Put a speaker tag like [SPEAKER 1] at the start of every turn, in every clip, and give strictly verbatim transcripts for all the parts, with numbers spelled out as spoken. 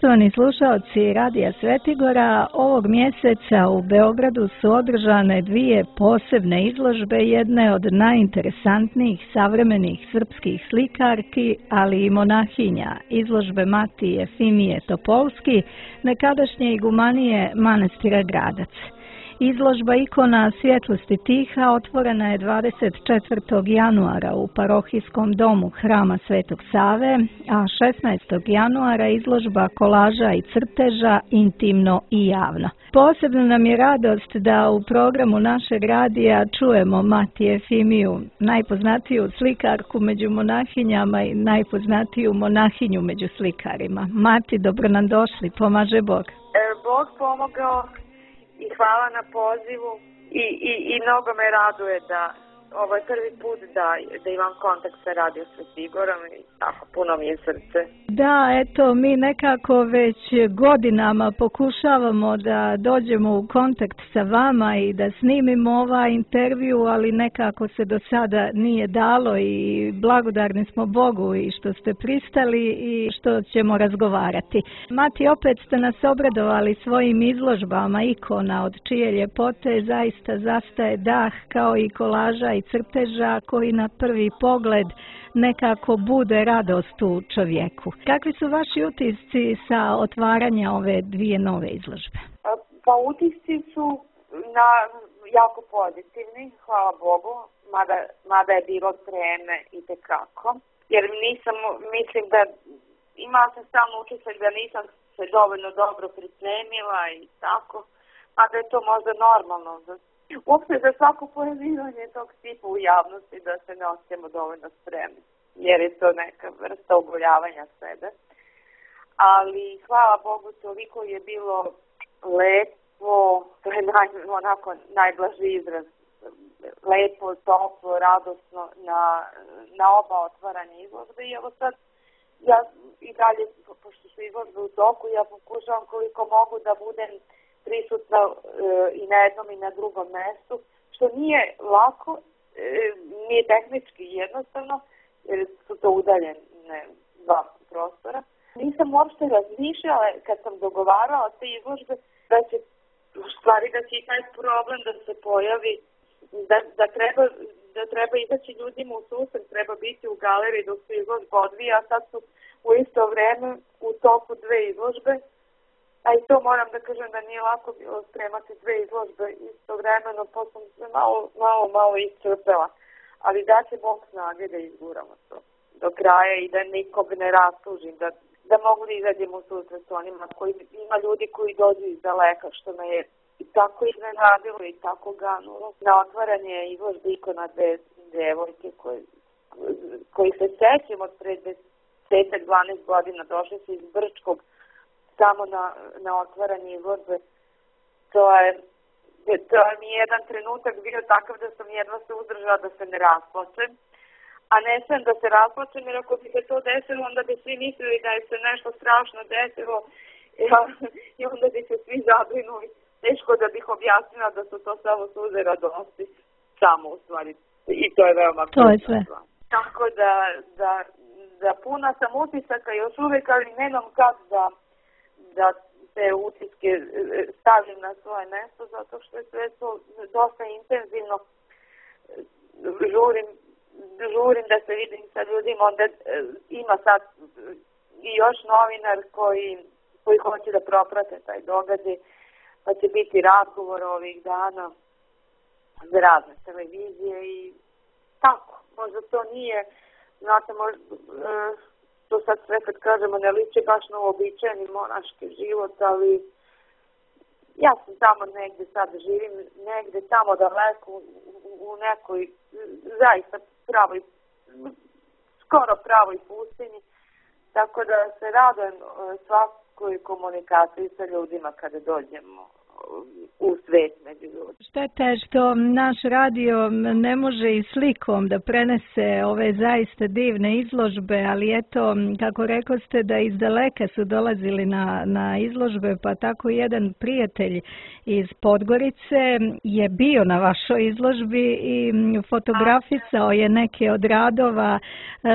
[SPEAKER 1] Poštovani slušaoci Radija Svetigora, ovog mjeseca u Beogradu su održane dvije posebne izložbe, jedne od najinteresantnijih savremenih srpskih slikarki, ali i monahinja, izložbe Mati Jefimije Topolski, nekadašnje igumanije manastira Gradac. Izložba ikona svjetlosti tiha otvorena je dvadeset četvrtog januara u parohijskom domu Hrama Svetog Save, a šesnaestog januara izložba kolaža i crteža intimno i javno. Posebno nam je radost da u programu našeg radija čujemo Mati Jefimiju, najpoznatiju slikarku među monahinjama i najpoznatiju monahinju među slikarima. Mati, dobro nam došli, pomaže Bog.
[SPEAKER 2] E, Bog pomogao. I hvala na pozivu i, i, i mnogo me raduje da ovo je prvi put da, da imam kontakt sa Radio Svetigorom i tako puno mi je srce.
[SPEAKER 1] Da, eto, mi nekako već godinama pokušavamo da dođemo u kontakt sa vama i da snimimo ovaj intervju, ali nekako se do sada nije dalo i blagodarni smo Bogu i što ste pristali i što ćemo razgovarati. Mati, opet ste nas obradovali svojim izložbama ikona od čije ljepote zaista zastaje dah kao i kolaža i crteža koji na prvi pogled nekako bude radost u čovjeku. Kakvi su vaši utisci sa otvaranja ove dvije nove izložbe?
[SPEAKER 2] Pa utisci su na jako pozitivni, hvala Bogu, mada, mada je bilo treme i tekako. Jer nisam, mislim da imala sam stalno utisak da nisam se dovoljno dobro pripremila i tako, mada je to možda normalno da uopšte za svako pojavljivanje tog tipa u javnosti da se ne osjećamo dovoljno spremni, jer je to neka vrsta oboljavanja sebe. Ali hvala Bogu, toliko je bilo lepo, to je naj, onako najblaži izraz, lepo, toplo, radosno na, na oba otvaranja izložbe. I evo sad, ja i dalje, pošto su izložbe u toku, ja pokušavam koliko mogu da budem prisutna e, i na jednom i na drugom mestu, što nije lako, e, nije tehnički jednostavno, jer su to udaljene dva prostora. Nisam uopšte razmišljala kad sam dogovarala te izložbe da će, u stvari da će i taj problem da se pojavi, da, da, treba, da treba izaći ljudima u susret, treba biti u galeriji dok se izložba odvija, a sad su u isto vreme u toku dve izložbe. A i to moram da kažem da nije lako bilo spremati dve izložbe istovremeno, pa sam se malo, malo, malo iscrpela. Ali da će Bog snage da izguramo to do kraja i da nikog ne rastužim, da, da mogu da izađem u susret s onima koji, ima ljudi koji dođu iz daleka, što me je i tako iznenadilo i tako ganulo. Na otvaranje izložbe ikona dve devojke koji, koji se sećam od pre deset do dvanaest godina, došli su iz Brčkog samo na, na otvaranje izložbe. To je, to je mi jedan trenutak bio takav da sam jedva se uzdržala da se ne rasplačem. A ne sam da se rasplačem, jer ako bi se to desilo, onda bi svi mislili da je se nešto strašno desilo i onda bi se svi zabrinuli. Teško da bih objasnila da su to samo suze radosti. Samo u stvari. I to je veoma
[SPEAKER 1] to je sve.
[SPEAKER 2] Tako da, da, da puna sam utisaka još uvijek, ali nemam kad da da te utiske stavim na svoje mesto, zato što je sve to dosta intenzivno. Žurim, žurim da se vidim sa ljudima, onda ima sad i još novinar koji, koji hoće da proprate taj događaj, pa će biti razgovor ovih dana za razne televizije i tako. Možda to nije, znate, možda to sad sve kad kažemo ne liči baš na uobičajeni monaški život, ali ja sam tamo negde sad živim, negde tamo daleko u, u nekoj zaista pravoj, skoro pravoj pustinji, tako da se radujem svakoj komunikaciji sa ljudima kada dođemo u svet među ljudima.
[SPEAKER 1] Šteta je što naš radio ne može i slikom da prenese ove zaista divne izložbe, ali eto, kako rekoste da iz daleka su dolazili na, na izložbe, pa tako jedan prijatelj iz Podgorice je bio na vašoj izložbi i fotografisao je neke od radova.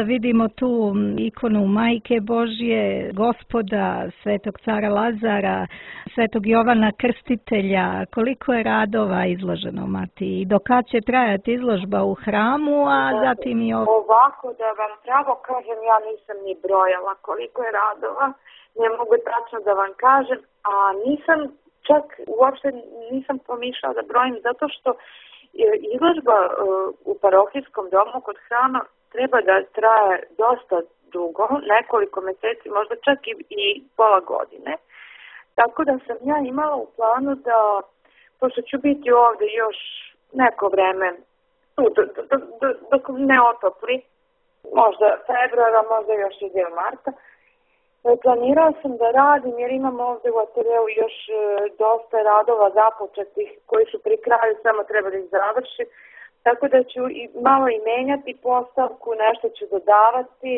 [SPEAKER 1] Vidimo tu ikonu Majke Božje, Gospoda, Svetog cara Lazara, Svetog Jovana Krstitelja. Koliko je radova izloženo, Mati? I do kad će trajati izložba u hramu, a zatim i ovo?
[SPEAKER 2] Ovako, da vam pravo kažem, ja nisam ni brojala koliko je radova. Ne mogu tačno da vam kažem, a nisam čak uopšte nisam pomišljala da brojim, zato što izložba u parohijskom domu kod hrama treba da traje dosta dugo, nekoliko meseci, možda čak i, i pola godine. Tako da sam ja imala u planu da, pošto ću biti ovde još neko vreme, dok ne otopli, možda februara, možda još i dio marta, planirala sam da radim jer imam ovde u ateljeu još dosta radova započetih koji su pri kraju, samo treba da ih završim. Tako da ću i malo i menjati postavku, nešto ću dodavati.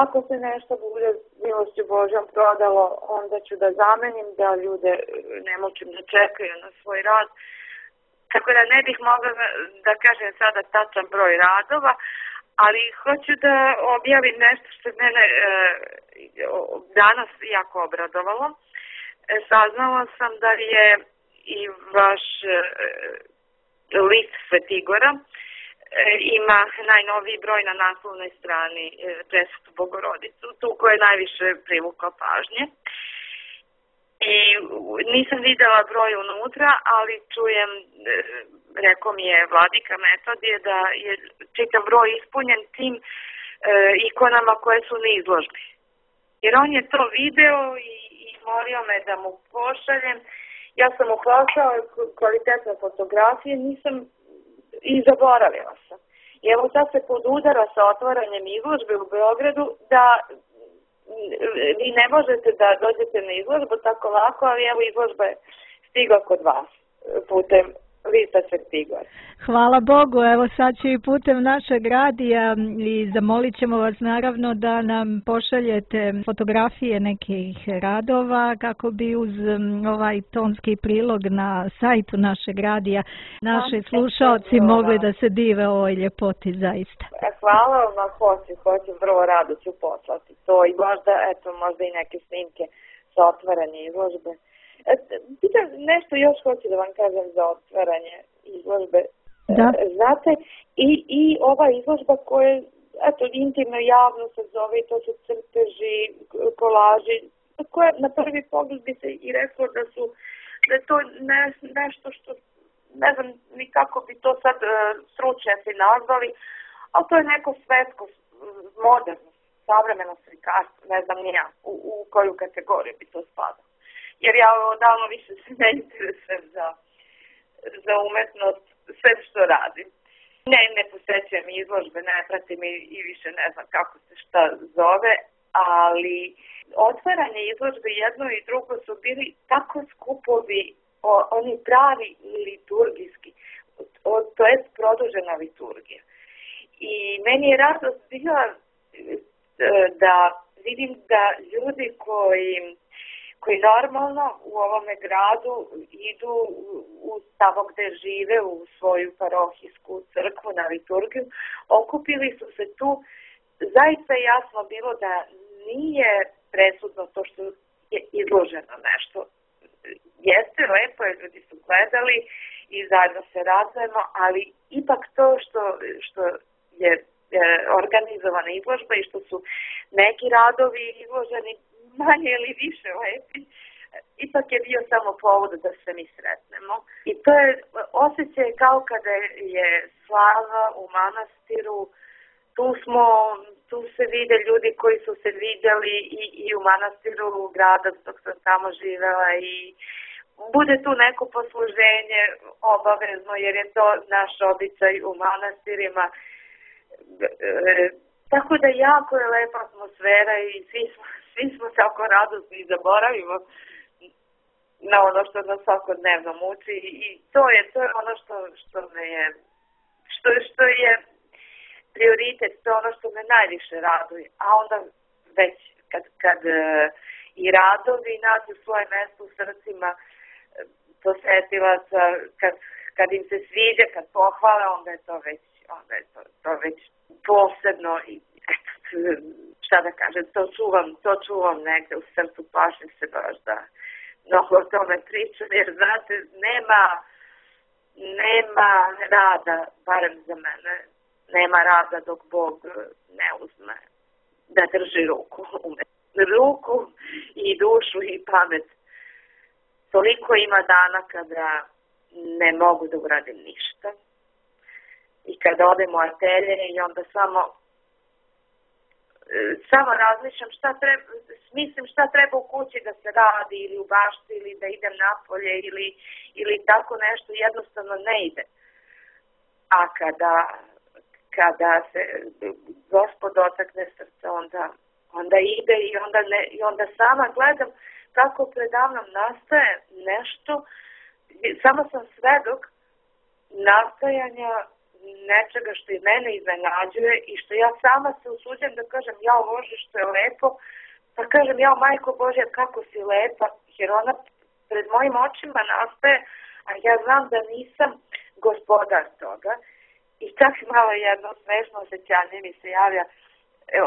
[SPEAKER 2] Ako se nešto bude milošću Božjom prodalo, onda ću da zamenim, da ljude ne mučim da čekaju na svoj rad. Tako da ne bih mogla da kažem sada tačan broj radova, ali hoću da objavim nešto što mene e, danas jako obradovalo. E, saznala sam da je i vaš e, list Svetigora e, ima najnoviji broj na naslovnoj strani e, Presvetu Bogorodicu, tu koja je najviše privukla pažnje. I nisam videla broj unutra, ali čujem, e, rekao mi je vladika Metodije da je čitav broj ispunjen tim e, ikonama koje su na izložbi. Jer on je to video i, i molio me da mu pošaljem. Ja sam uhvatila kvalitetne fotografije, nisam i zaboravila sam. I evo sad se podudara sa otvaranjem izložbe u Beogradu da vi ne možete da dođete na izložbu tako lako, ali evo izložba je stigla kod vas putem lista Svetigora.
[SPEAKER 1] Hvala Bogu, evo sad ću i putem našeg radija i zamolit ćemo vas naravno da nam pošaljete fotografije nekih radova kako bi uz ovaj tonski prilog na sajtu našeg radija naši slušalci mogli da se dive ovoj ljepoti zaista.
[SPEAKER 2] Hvala vam, hoću, hoću, vrlo rado ću poslati to i možda, eto, možda i neke snimke sa otvaranje izložbe. Pitam, nešto još hoću da vam kažem za otvaranje izložbe.
[SPEAKER 1] Da.
[SPEAKER 2] Znate, i, i ova izložba koja, eto, intimno javno se zove, to su crteži, kolaži, koje na prvi pogled bi se i reklo da su, da je to ne, nešto što, ne znam ni kako bi to sad stručnjaci nazvali, ali to je neko svetsko, moderno, savremeno slikarstvo, ne znam ni ja, u, u koju kategoriju bi to spadalo. Jer ja odavno više se ne interesujem za, za umetnost, sve što radim. Ne, ne posećujem izložbe, ne pratim i, i više ne znam kako se šta zove, ali otvaranje izložbe jedno i drugo su bili tako skupovi, o, oni pravi liturgijski, o, to je produžena liturgija. I meni je radost bila da vidim da ljudi koji koji normalno u ovome gradu idu u tamo gde žive u svoju parohijsku crkvu na liturgiju, okupili su se tu. Zaista jasno bilo da nije presudno to što je izloženo nešto. Jeste, lepo je, ljudi su gledali i zajedno se radujemo, ali ipak to što, što je organizovana izložba i što su neki radovi izloženi manje ili više lepi, ipak je bio samo povod da se mi sretnemo. I to je osjećaj kao kada je slava u manastiru, tu smo, tu se vide ljudi koji su se vidjeli i, i u manastiru grada dok sam tamo živela i bude tu neko posluženje obavezno jer je to naš običaj u manastirima. E, tako da jako je lepa atmosfera i svi smo Svi smo tako radosni i zaboravimo na ono što nas svakodnevno muči i to je, to je ono što, što me je, što, što je prioritet, to je ono što me najviše raduje, a onda već kad, kad i radovi nađu svoje mesto u srcima posetilaca, kad, kad im se sviđa, kad pohvale, onda je to već, onda je to, to već posebno i eto, šta da kažem, to čuvam, to čuvam negde u srcu, plašim se baš da mnogo o tome pričam, jer znate, nema, nema rada, barem za mene, nema rada dok Bog ne uzme da drži ruku, ruku i dušu i pamet. Toliko ima dana kada ne mogu da uradim ništa i kada odem u atelje i onda samo samo razmišljam šta treba, mislim šta treba u kući da se radi ili u bašti ili da idem napolje ili, ili tako nešto, jednostavno ne ide. A kada, kada se Gospod dotakne srce, onda, onda ide i onda, ne, i onda sama gledam kako predavnom nastaje nešto, samo sam svedok nastajanja nečega što i mene iznenađuje i što ja sama se usuđem da kažem jao Bože što je lepo, pa kažem jao Majko Božja kako si lepa, jer ona pred mojim očima nastaje, a ja znam da nisam gospodar toga i čak malo jedno smešno osjećanje mi se javlja,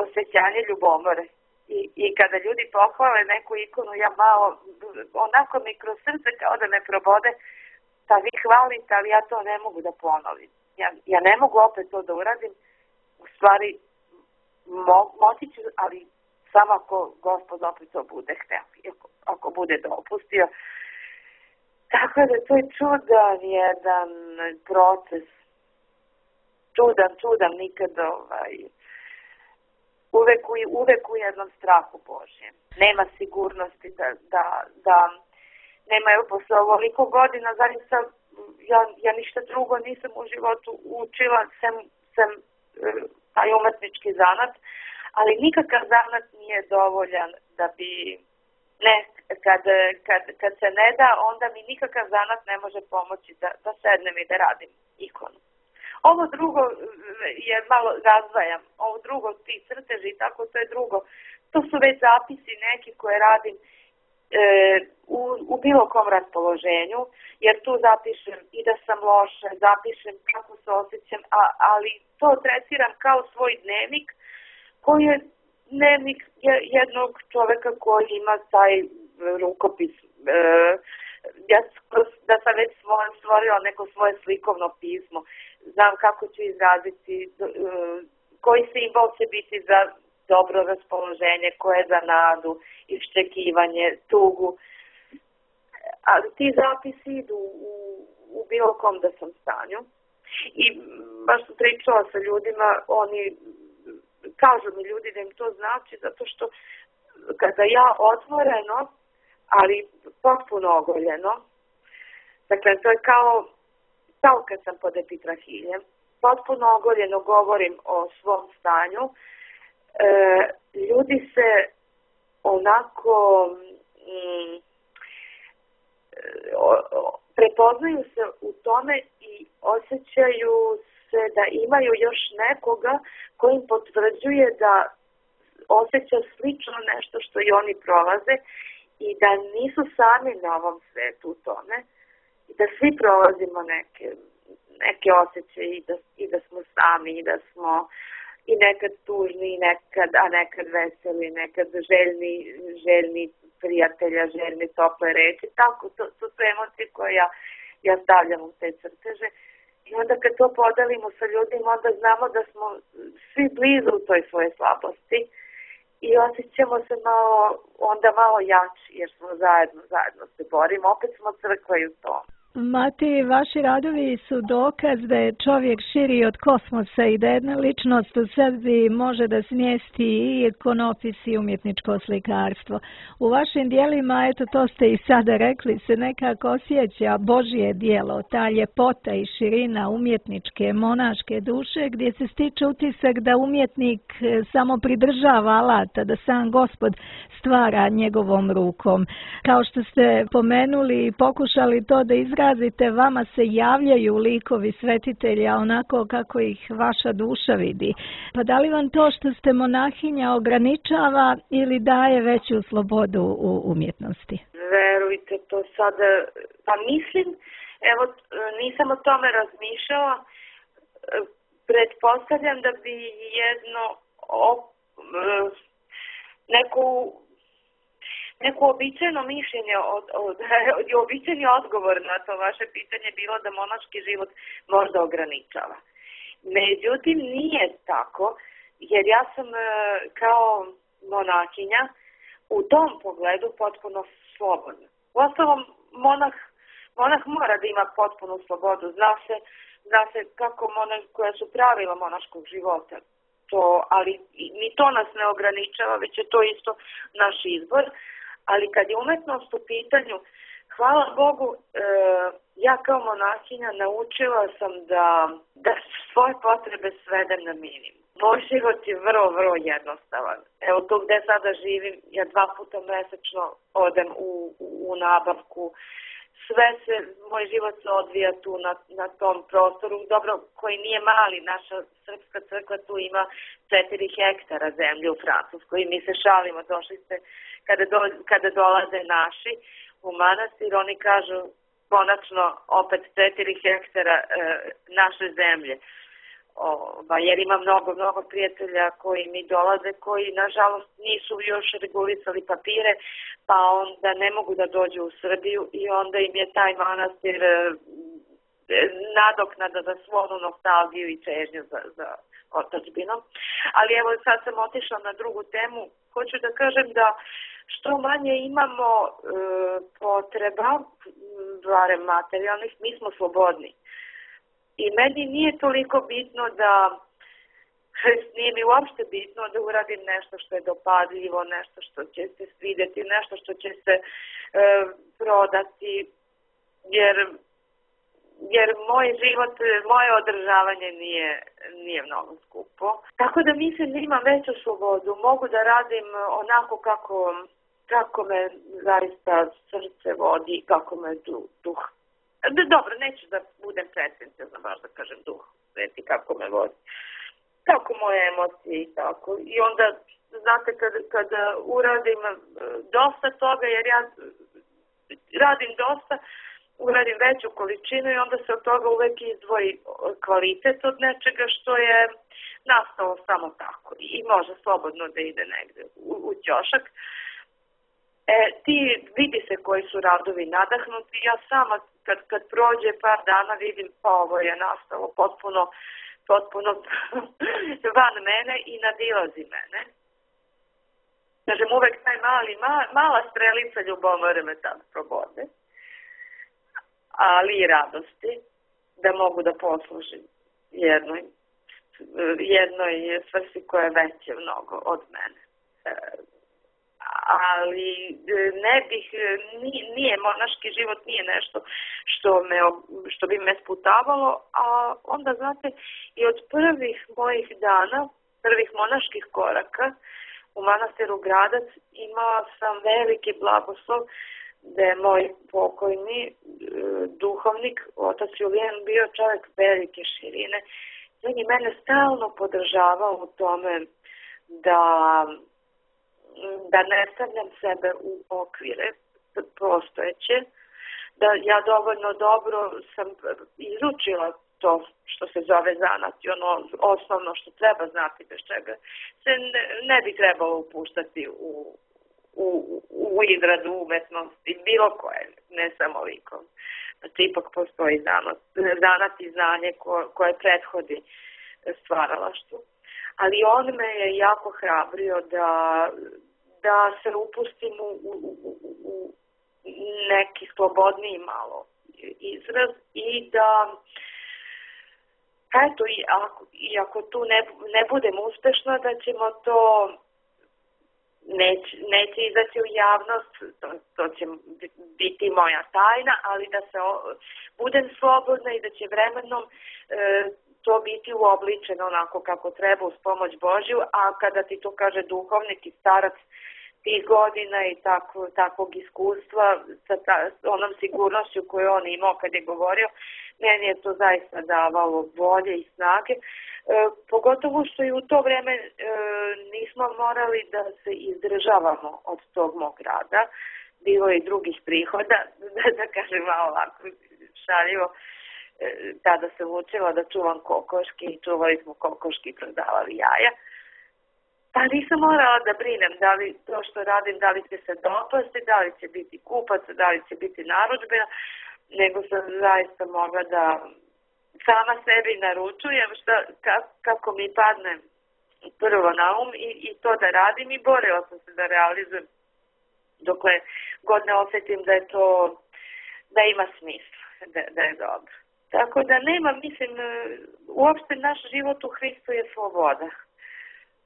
[SPEAKER 2] osjećanje ljubomore. I, I kada ljudi pohvale neku ikonu, ja malo, onako mi kroz srce kao da me probode, pa vi hvalite, ali ja to ne mogu da ponovim. Ja, ja ne mogu opet to da uradim, u stvari mo, moći ću, ali samo ako Gospod opet to bude hteo, ako, ako bude dopustio. Tako da to je čudan jedan proces, čudan, čudan, nikad ovaj, uvek u, uvek u jednom strahu Božjem. Nema sigurnosti da, da, da nema, evo posle ovoliko godina, zaista ja, ja ništa drugo nisam u životu učila, sem, sem taj umetnički zanat, ali nikakav zanat nije dovoljan da bi, ne, kad, kad, kad se ne da, onda mi nikakav zanat ne može pomoći da, da sednem i da radim ikonu. Ovo drugo je malo razdvajam, ovo drugo ti crteži i tako, to je drugo. To su već zapisi neki koje radim e, u, u bilo kom raspoloženju, jer tu zapišem i da sam loša, zapišem kako se osjećam, a, ali to tretiram kao svoj dnevnik, koji je dnevnik jednog čoveka koji ima taj rukopis. E, ja da sam već stvorila neko svoje slikovno pismo, znam kako ću izraziti, koji simbol će biti za dobro raspoloženje, koje je za nadu, iščekivanje, tugu. Ali ti zapisi idu u, u bilo kom da sam stanju. I baš sam pričala sa ljudima, oni kažu mi ljudi da im to znači, zato što kada ja otvoreno, ali potpuno ogoljeno, dakle to je kao kao kad sam pod epitrahiljem, potpuno ogoljeno govorim o svom stanju, e, ljudi se onako mm, o, o, prepoznaju se u tome i osjećaju se da imaju još nekoga koji im potvrđuje da osjeća slično nešto što i oni prolaze i da nisu sami na ovom svetu u tome. Da svi prolazimo neke, neke osjećaje i da, i da smo sami i da smo i nekad tužni, i nekad, a nekad veseli, nekad željni, željni prijatelja, željni tople reči. Tako, to, to su emocije koje ja, ja stavljam u te crteže. I onda kad to podelimo sa ljudima, onda znamo da smo svi blizu u toj svoje slabosti i osjećamo se malo, onda malo jači, jer smo zajedno, zajedno se borimo. Opet smo crkva i u tom.
[SPEAKER 1] Mati, vaši radovi su dokaz da je čovjek širi od kosmosa i da jedna ličnost u sebi može da smjesti i ikonopis i umjetničko slikarstvo. U vašim dijelima, eto to ste i sada rekli, se nekako osjeća Božje djelo, ta ljepota i širina umjetničke, monaške duše, gdje se stiče utisak da umjetnik samo pridržava alata, da sam Gospod stvara njegovom rukom. Kao što ste pomenuli i pokušali to da izrazite, vama se javljaju likovi svetitelja onako kako ih vaša duša vidi. Pa da li vam to što ste monahinja ograničava ili daje veću slobodu u umjetnosti?
[SPEAKER 2] Verujte, to sada, pa mislim, evo, nisam o tome razmišljala, pretpostavljam da bi jedno op, neku neko običajno mišljenje, od, od, od, običajni odgovor na to vaše pitanje bilo da monaški život možda ograničava. Međutim, nije tako, jer ja sam kao monahinja u tom pogledu potpuno slobodna. Uostalom, monah, monah mora da ima potpunu slobodu. Zna se, zna se kako monah, koja su pravila monaškog života. To, ali ni to nas ne ograničava, već je to isto naš izbor. Ali kad je umetnost u pitanju, hvala Bogu, e, ja kao monahinja naučila sam da, da svoje potrebe svedem na minimum. Moj život je vrlo, vrlo jednostavan. Evo tu gde sada živim, ja dva puta mesečno odem u, u, u nabavku. Sve se, moj život se odvija tu na, na tom prostoru, dobro, koji nije mali, naša srpska crkva tu ima četiri hektara zemlje u Francuskoj i mi se šalimo, došli ste, kada, do, kada dolaze naši u manastir, oni kažu konačno opet četiri hektara e, naše zemlje. O, ba, jer ima mnogo, mnogo prijatelja koji mi dolaze, koji nažalost nisu još regulisali papire, pa onda ne mogu da dođu u Srbiju i onda im je taj manastir e, nadoknada za svu onu nostalgiju i čežnju za, za otadžbinom. Ali evo sad sam otišla na drugu temu. Hoću da kažem da što manje imamo e, potreba, barem materijalnih, mi smo slobodni. I meni nije toliko bitno da, nije mi uopšte bitno da uradim nešto što je dopadljivo, nešto što će se svidjeti, nešto što će se e, prodati, jer, jer moj život, moje održavanje nije, nije mnogo skupo. Tako da mislim da imam veću slobodu, mogu da radim onako kako, kako me zaista srce vodi, kako me duh. Dobro, neću da budem pretencijozna, baš da kažem duh, sveti kako me vodi, kako moje emocije i tako. I onda, znate, kada, kada uradim dosta toga, jer ja radim dosta, uradim veću količinu i onda se od toga uvek izdvoji kvalitet od nečega što je nastalo samo tako i može slobodno da ide negde u, u ćošak. E, ti vidi se koji su radovi nadahnuti, ja sama kad, kad prođe par dana vidim pa ovo je nastalo potpuno, potpuno van mene i nadilazi mene. Kažem, uvek taj mali, ma, mala strelica ljubomore me tad probode, ali i radosti da mogu da poslužim jednoj, jednoj svrsi koja je veće mnogo od mene. E, ali ne bih, nije, monaški život nije nešto što, me, što bi me sputavalo, a onda, znate, i od prvih mojih dana, prvih monaških koraka u manastiru Gradac imala sam veliki blagoslov da je moj pokojni duhovnik, otac Julijan, bio čovjek velike širine. On je mene stalno podržavao u tome da da ne stavljam sebe u okvire postojeće, da ja dovoljno dobro sam izučila to što se zove zanat i ono osnovno što treba znati, bez čega se ne, ne bi trebalo upuštati u, u, u izradu umetnosti, bilo koje, ne samo likom. Znači, ipak postoji zanat, zanat i znanje ko, koje prethodi stvaralaštvu. Ali on me je jako hrabrio da, da se upustim u, u, u, u neki slobodniji malo izraz i da eto, i ako, i ako tu ne, ne budem uspešna, da ćemo to neće, neće izaći u javnost, to, to će biti moja tajna, ali da se o, budem slobodna i da će vremenom e, to biti uobličeno onako kako treba uz pomoć Božju, a kada ti to kaže duhovnik i starac tih godina i tako, takvog iskustva sa ta, onom sigurnošću koju on imao kad je govorio, meni je to zaista davalo volje i snage, e, pogotovo što i u to vreme e, nismo morali da se izdržavamo od tog mog rada, bilo je i drugih prihoda, da, da kažem malo ovako šaljivo, e, tada sam učila da čuvam kokoške i čuvali smo kokoške i prodavali jaja. Pa nisam morala da brinem da li to što radim, da li će se dopasti, da li će biti kupac, da li će biti narudžbena, nego sam zaista mogla da sama sebi naručujem šta, kako mi padne prvo na um i, i to da radim i borila sam se da realizujem dokle god ne osjetim da je to, da ima smisla, da, da je dobro. Tako da nema, mislim, uopšte naš život u Hristu je sloboda.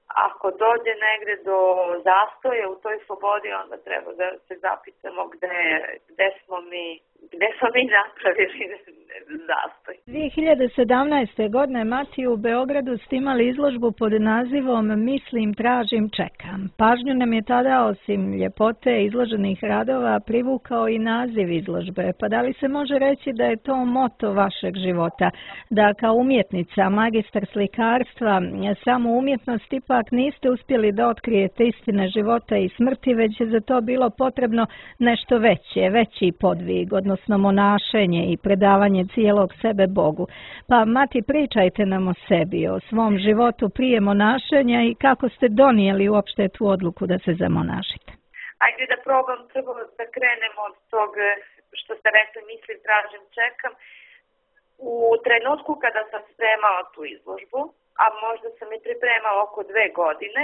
[SPEAKER 2] Ako dođe negde do zastoja u toj slobodi, onda treba da se zapitamo gde, gde smo mi, gde smo mi napravili zastoj.
[SPEAKER 1] dvije hiljade sedamnaeste. godine, Mati, u Beogradu ste imali izložbu pod nazivom Mislim, tražim, čekam. Pažnju nam je tada, osim ljepote izloženih radova, privukao i naziv izložbe. Pa da li se može reći da je to moto vašeg života? Da kao umjetnica, magistar slikarstva, samo umjetnost ipak niste uspjeli da otkrijete istine života i smrti, već je za to bilo potrebno nešto veće, veći podvig, odnosno monašenje i predavanje cijelog sebe Bogu. Pa, Mati, pričajte nam o sebi, o svom životu prije monašenja i kako ste donijeli uopšte tu odluku da se zamonašite.
[SPEAKER 2] Ajde da probam prvo da krenemo od tog što ste rekli, mislim, tražim, čekam. U trenutku kada sam spremala tu izložbu, a možda sam i pripremala oko dve godine,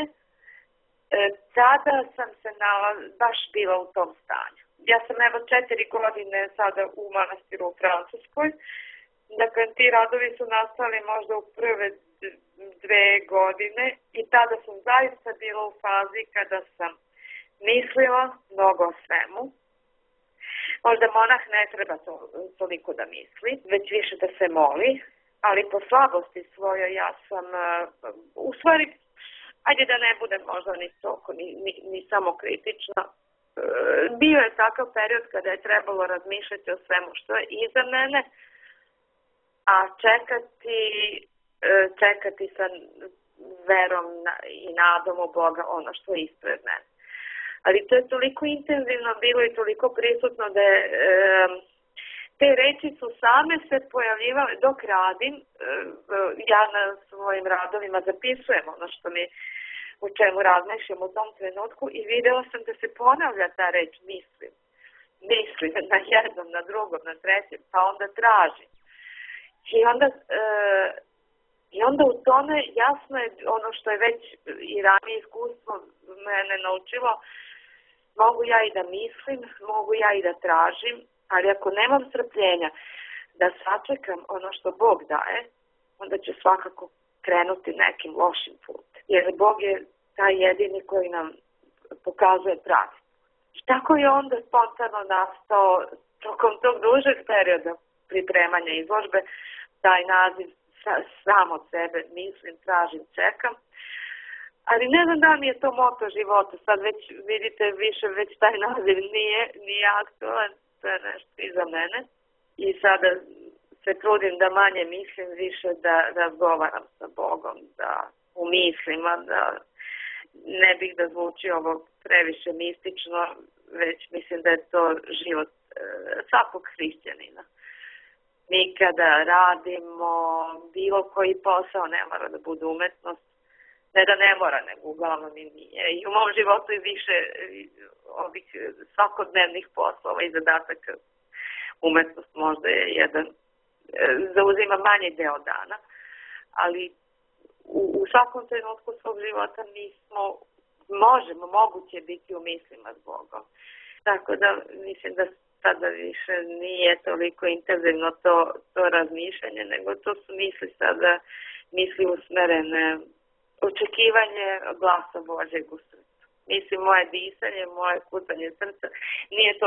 [SPEAKER 2] tada sam se nalaz, baš bila u tom stanju. Ja sam evo četiri godine sada u manastiru u Francuskoj. Dakle, ti radovi su nastali možda u prve dve godine i tada sam zaista bila u fazi kada sam mislila mnogo o svemu. Možda monah ne treba to, toliko da misli, već više da se moli, ali po slabosti svojoj ja sam, u stvari, ajde da ne budem možda ni toliko, ni, ni, ni samo kritična, bio je takav period kada je trebalo razmišljati o svemu što je iza mene, a čekati, čekati sa verom i nadom u Boga ono što je ispred mene. Ali to je toliko intenzivno bilo i toliko prisutno da je, te reči su same se pojavljivale dok radim. Ja na svojim radovima zapisujem ono što mi u čemu razmišljam u tom trenutku i videla sam da se ponavlja ta reč mislim. Mislim na jednom, na drugom, na trećem, pa onda tražim. I onda, e, i onda u tome jasno je ono što je već i ranije iskustvo mene naučilo, mogu ja i da mislim, mogu ja i da tražim, ali ako nemam strpljenja da sačekam ono što Bog daje, onda ću svakako krenuti nekim lošim putem. Jer Bog je taj jedini koji nam pokazuje pravi. I tako je onda spontano nastao tokom tog dužeg perioda pripremanja izložbe taj naziv sam od sebe, mislim, tražim, čekam. Ali ne znam da mi je to moto života. Sad već vidite više, već taj naziv nije, nije aktualan, to je nešto iza mene. I sada se trudim da manje mislim, više da razgovaram sa Bogom, da u mislima, da ne bih da zvuči ovo previše mistično, već mislim da je to život e, svakog hrišćanina. Mi kada radimo bilo koji posao, ne mora da bude umetnost, ne da ne mora, nego uglavnom i nije. I u mom životu i više ovih svakodnevnih poslova i zadataka umetnost možda je jedan, zauzima manji deo dana, ali u, u svakom trenutku svog života mi smo, možemo, moguće biti u mislima s Bogom. Tako da mislim da sada više nije toliko intenzivno to, to razmišljanje, nego to su misli sada, misli usmerene, očekivanje glasa Božjeg u srcu. Mislim, moje disanje, moje kucanje srca, nije to,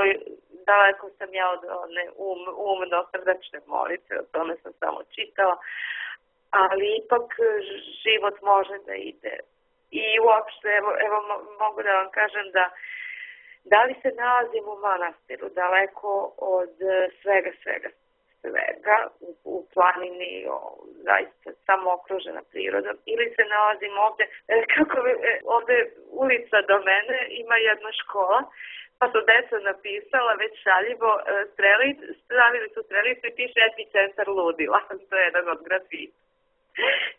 [SPEAKER 2] daleko sam ja od one um, umno srdačne molitve, o tome sam samo čitala, ali ipak život može da ide. I uopšte, evo, evo mogu da vam kažem da da li se nalazim u manastiru, daleko od svega, svega, svega, u, u planini, o, zaista samo okružena prirodom, ili se nalazim ovde, kako ovde ulica do mene ima jedna škola, pa su deca napisala već šaljivo, strelic, stavili su strelicu i piše epicentar ludila, to je jedan od grafita.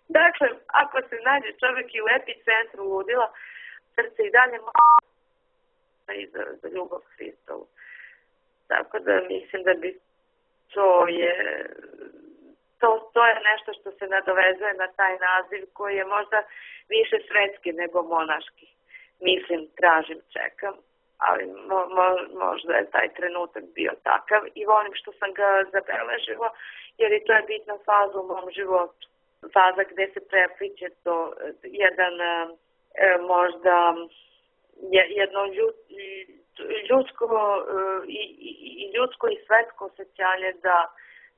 [SPEAKER 2] Dakle, ako se nađe čovjek i u epicentru ludila, srce i dalje i za, za ljubav Hristovu. Tako da mislim da bi to je to, to je nešto što se nadovezuje na taj naziv koji je možda više svetski nego monaški. Mislim, tražim, čekam, ali mo, mo, možda je taj trenutak bio takav i volim što sam ga zabeležila, jer i to je bitna faza u mom životu. Faza gde se prepliče to jedan e, možda jedno ljudsko i, i, ljudsko i svetsko osjećanje da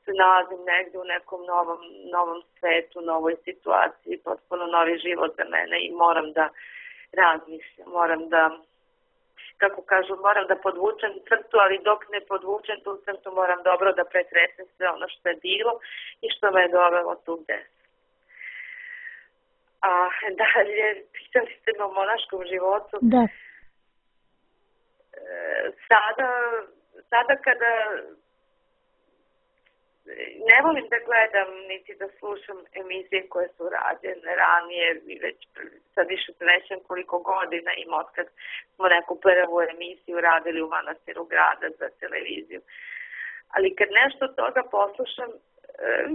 [SPEAKER 2] se nalazim negde u nekom novom, novom svetu, novoj situaciji, potpuno novi život za mene i moram da razmišljam, moram da, kako kažu, moram da podvučem crtu, ali dok ne podvučem tu crtu moram dobro da pretresem sve ono što je bilo i što me je dovelo tu gde sam. A dalje, pitali ste me o monaškom životu.
[SPEAKER 1] Da.
[SPEAKER 2] E, sada, sada kada ne volim da gledam niti da slušam emisije koje su rađene ranije, već sad više srećem koliko godina ima otkad smo neku prvu emisiju radili u manastiru grada za televiziju. Ali kad nešto od toga poslušam, e,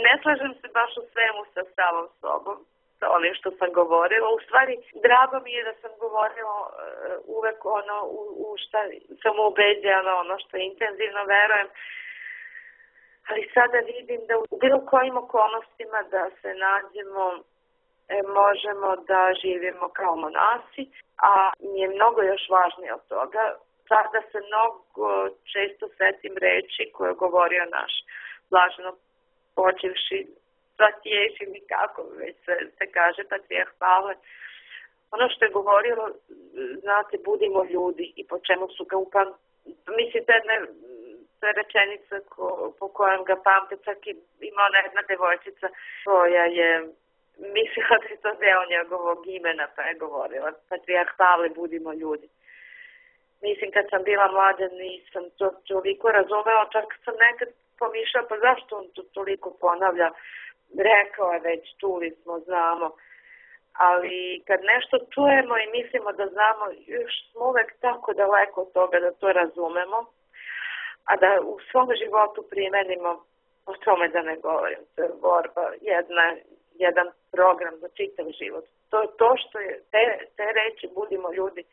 [SPEAKER 2] ne slažem se baš u svemu sa samom sobom, sa onim što sam govorila. U stvari, drago mi je da sam govorila uh, uvek ono u, u šta sam ubeđena, ono što intenzivno verujem. Ali sada vidim da u bilo kojim okolnostima da se nađemo, e, možemo da živimo kao monasi, a mi je mnogo još važnije od toga. Sada se mnogo često setim reči koje je govorio naš blaženo počevši svatješi mi kako već se, se kaže patrijarh Pavle. Ono što je govorilo, znate, budimo ljudi i po čemu su ga upam... Mislim, te ne, te rečenica ko, po kojem ga pamte, čak i ima ona jedna devojčica koja je mislila da je to deo njegovog imena, pa je govorila patrijarh Pavle, budimo ljudi. Mislim, kad sam bila mlada nisam to toliko razumela, čak sam nekad pomišljala, pa zašto on to toliko ponavlja? Rekao je već, čuli smo, znamo. Ali kad nešto čujemo i mislimo da znamo, još smo uvek tako daleko od toga da to razumemo, a da u svom životu primenimo, o tome da ne govorim, to je borba, jedna, jedan program za čitav život. To je to što je, te, te reči budimo ljudi,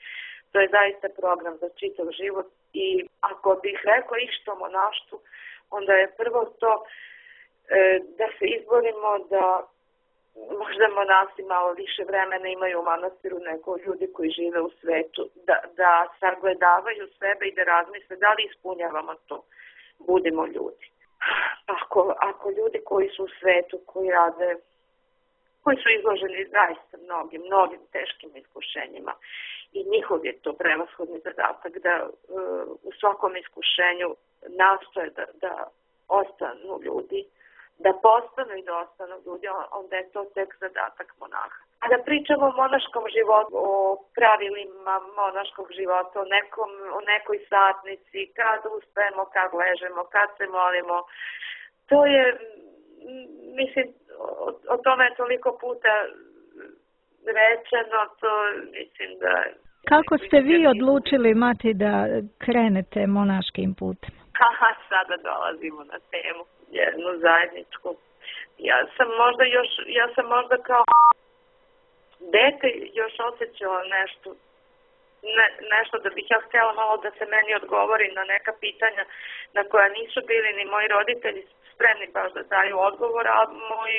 [SPEAKER 2] to je zaista program za čitav život i ako bih rekao išta o monaštvu, onda je prvo to e, da se izborimo da možda monasi malo više vremena imaju u manastiru nego ljudi koji žive u svetu, da, da sagledavaju sebe i da razmisle da li ispunjavamo to, budemo ljudi. Ako, ako ljudi koji su u svetu, koji rade, koji su izloženi zaista mnogim, mnogim teškim iskušenjima i njihov je to prevashodni zadatak da uh, u svakom iskušenju nastoje da, da ostanu ljudi, da postanu i da ostanu ljudi, onda je to tek zadatak monaha. A da pričamo o monaškom životu, o pravilima monaškog života, o, nekom, o nekoj satnici, kad ustajemo, kad ležemo, kad se molimo, to je, mislim, o, o tome je toliko puta rečeno, to mislim da...
[SPEAKER 1] Kako ste vi odlučili, Mati, da krenete monaškim putem?
[SPEAKER 2] Aha, sada dolazimo na temu, jednu zajedničku. Ja sam možda još, ja sam možda kao dete još osjećala nešto, ne, nešto da bih ja htjela malo da se meni odgovori na neka pitanja na koja nisu bili ni moji roditelji spremni baš da daju odgovor, a moji,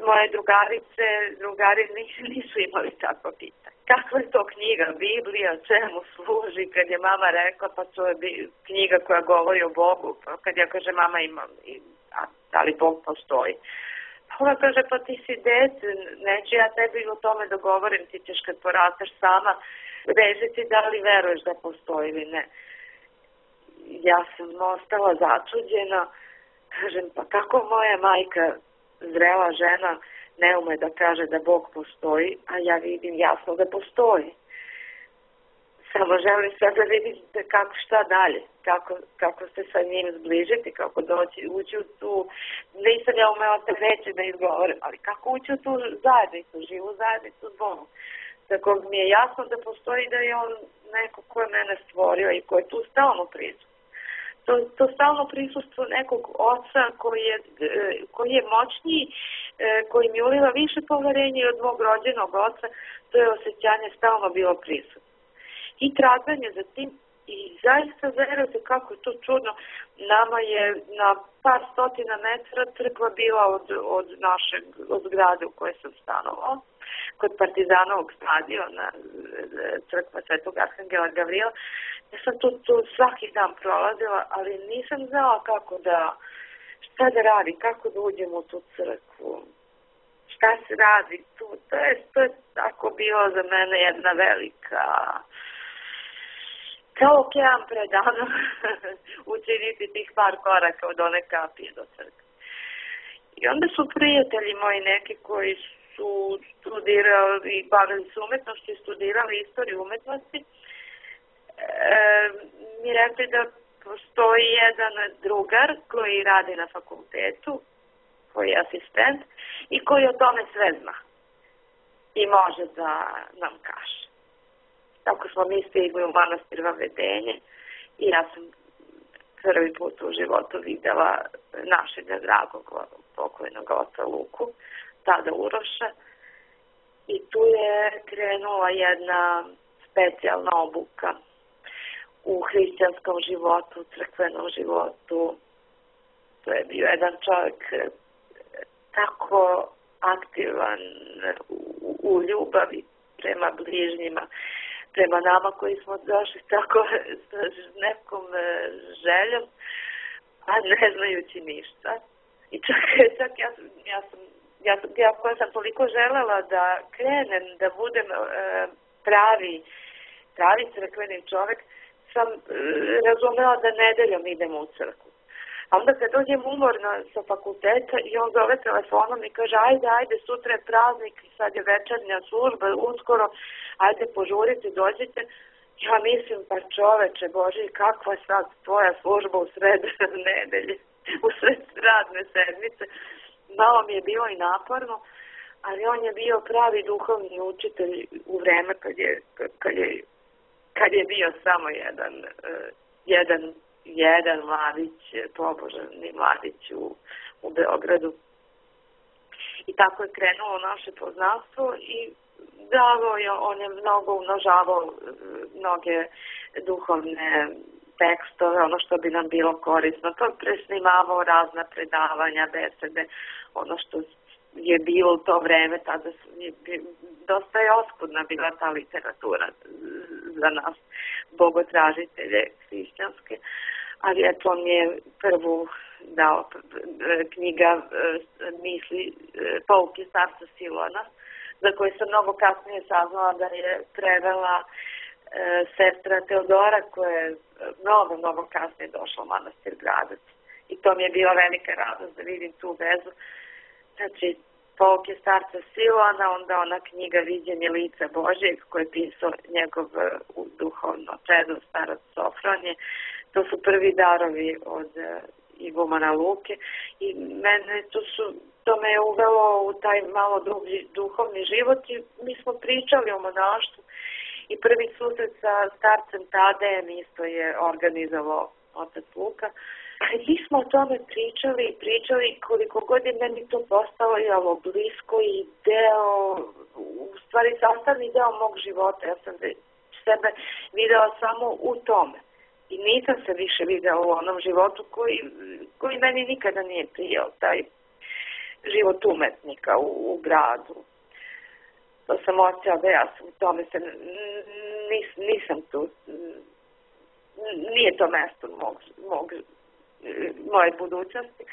[SPEAKER 2] moje drugarice, drugari nisu imali takva pitanja. Kakva je to knjiga, Biblija, čemu služi, kad je mama rekla pa to je knjiga koja govori o Bogu, pa kad ja kaže mama ima, a da li Bog postoji? Pa ona kaže pa ti si dete, neću ja tebi o tome da govorim, ti ćeš kad porasteš sama režiti da li veruješ da postoji ili ne. Ja sam ostala začuđena, kažem pa kako moja majka, zrela žena, ne ume da kaže da Bog postoji, a ja vidim jasno da postoji. Samo želim sad da vidim kako šta dalje, kako, kako se sa njim zbližiti, kako doći, ući u tu, nisam ja umela se reći da izgovorim, ali kako ući u tu zajednicu, živu zajednicu s Bogom. Tako mi je jasno da postoji da je on neko ko je mene stvorio i ko je tu stalno prisutan. To, to stalno prisustvo nekog oca koji je, koji je moćniji, koji mi uliva više poverenja od mog rođenog oca, to je osjećanje stalno bilo prisutno. I traganje za tim i zaista verujete kako je to čudno, nama je na par stotina metara crkva bila od, od našeg, od zgrade u kojoj sam stanovala, kod Partizanovog stadiona, crkva Svetog Arhangela Gavrila. Ja sam tu, tu svaki dan prolazila, ali nisam znala kako da, šta da radi, kako da uđem u tu crkvu, šta se radi tu. To je, to je tako bilo za mene jedna velika, kao okean predano učiniti tih par koraka od one kapije do crkve. I onda su prijatelji moji neki koji su studirali i bavili se umetnošću i studirali istoriju umetnosti, E, mi rekli da postoji jedan drugar koji radi na fakultetu, koji je asistent i koji o tome sve zna i može da nam kaže. Tako smo mi stigli u manastir Vavedenje i ja sam prvi put u životu videla našega dragog pokojnog oca Luku, tada Uroša, i tu je krenula jedna specijalna obuka u hrišćanskom životu, crkvenom životu. To je bio jedan čovjek tako aktivan u, u ljubavi prema bližnjima, prema nama koji smo došli tako s nekom željom, a ne znajući ništa. I čak, čak ja, ja sam, ja, ja koja sam toliko želela da krenem, da budem e, pravi, pravi crkveni čovjek, sam e, razumela da nedeljom idemo u crkvu. A onda kad dođem umorna sa fakulteta i on zove telefonom i kaže ajde, ajde, sutra je praznik, sad je večernja služba, uskoro, ajde požurite, dođite. Ja mislim, pa čoveče Boži, kakva je sad tvoja služba u sred nedelje, u sred radne sedmice. Malo mi je bilo i naporno, ali on je bio pravi duhovni učitelj u vreme kad je, kad je, kad je bio samo jedan, jedan, jedan mladić, pobožani mladić u, u Beogradu. I tako je krenulo naše poznanstvo i davo je, on je mnogo umnožavao mnoge duhovne tekstove, ono što bi nam bilo korisno. To presnimavao razna predavanja, besede, ono što je bilo u to vreme, tada je dosta je oskudna bila ta literatura za nas, bogotražitelje hrišćanske, ali eto on je prvu dao knjiga misli Pouke starca Silona, za koje sam mnogo kasnije saznala da je prevela e, sestra Teodora, koja je mnogo, mnogo kasnije došla u manastir Gradac. I to mi je bila velika radost da vidim tu vezu. Znači, Pouke starca Silona, onda ona knjiga Viđenje lica Božijeg, koje je pisao njegov duhovno čedo, starac Sofronije. To su prvi darovi od igumana Luke i mene to su to me je uvelo u taj malo dublji duhovni život i mi smo pričali o monaštvu i prvi susret sa starcem Tadejem isto je organizovao otac Luka. I mi smo o tome pričali i pričali koliko god je meni to postalo jelo blisko i deo, u stvari sastavni deo mog života. Ja sam sebe videla samo u tome. I nisam se više videla u onom životu koji, koji meni nikada nije prijao, taj život umetnika u, u gradu. To sam osjećala da ja sam u tome se nis, nisam tu, nije to mesto mog, mog, moje budućnosti,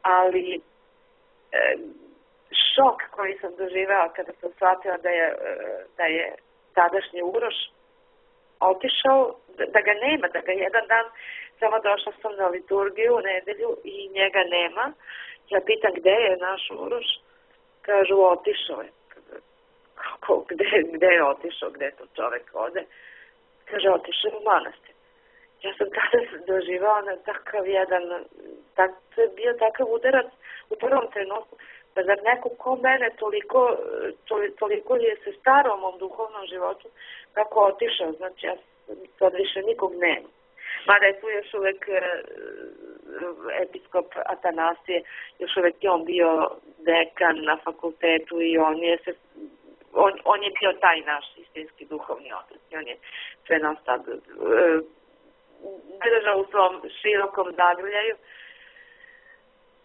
[SPEAKER 2] ali e, šok koji sam doživela kada sam shvatila da je, da je tadašnji Uroš otišao, da ga nema, da ga jedan dan samo došla sam na liturgiju u nedelju i njega nema. Ja pitam gde je naš Uroš, kažu otišao je. Kako, gde, gde je otišao, gde to čovek ode? Kaže otišao u manastir. Ja sam tada doživao na takav jedan, tak, to je bio takav udarac u prvom trenutku, pa zar neko ko mene toliko, toliko je se staro o mom duhovnom životu, kako otišao, znači ja sad više nikog nema. Mada je tu još uvek episkop Atanasije, još uvek je on bio dekan na fakultetu i on je se On, on je bio taj naš istinski duhovni otac. On je sve nas tad e, držao u svom širokom zagrljaju.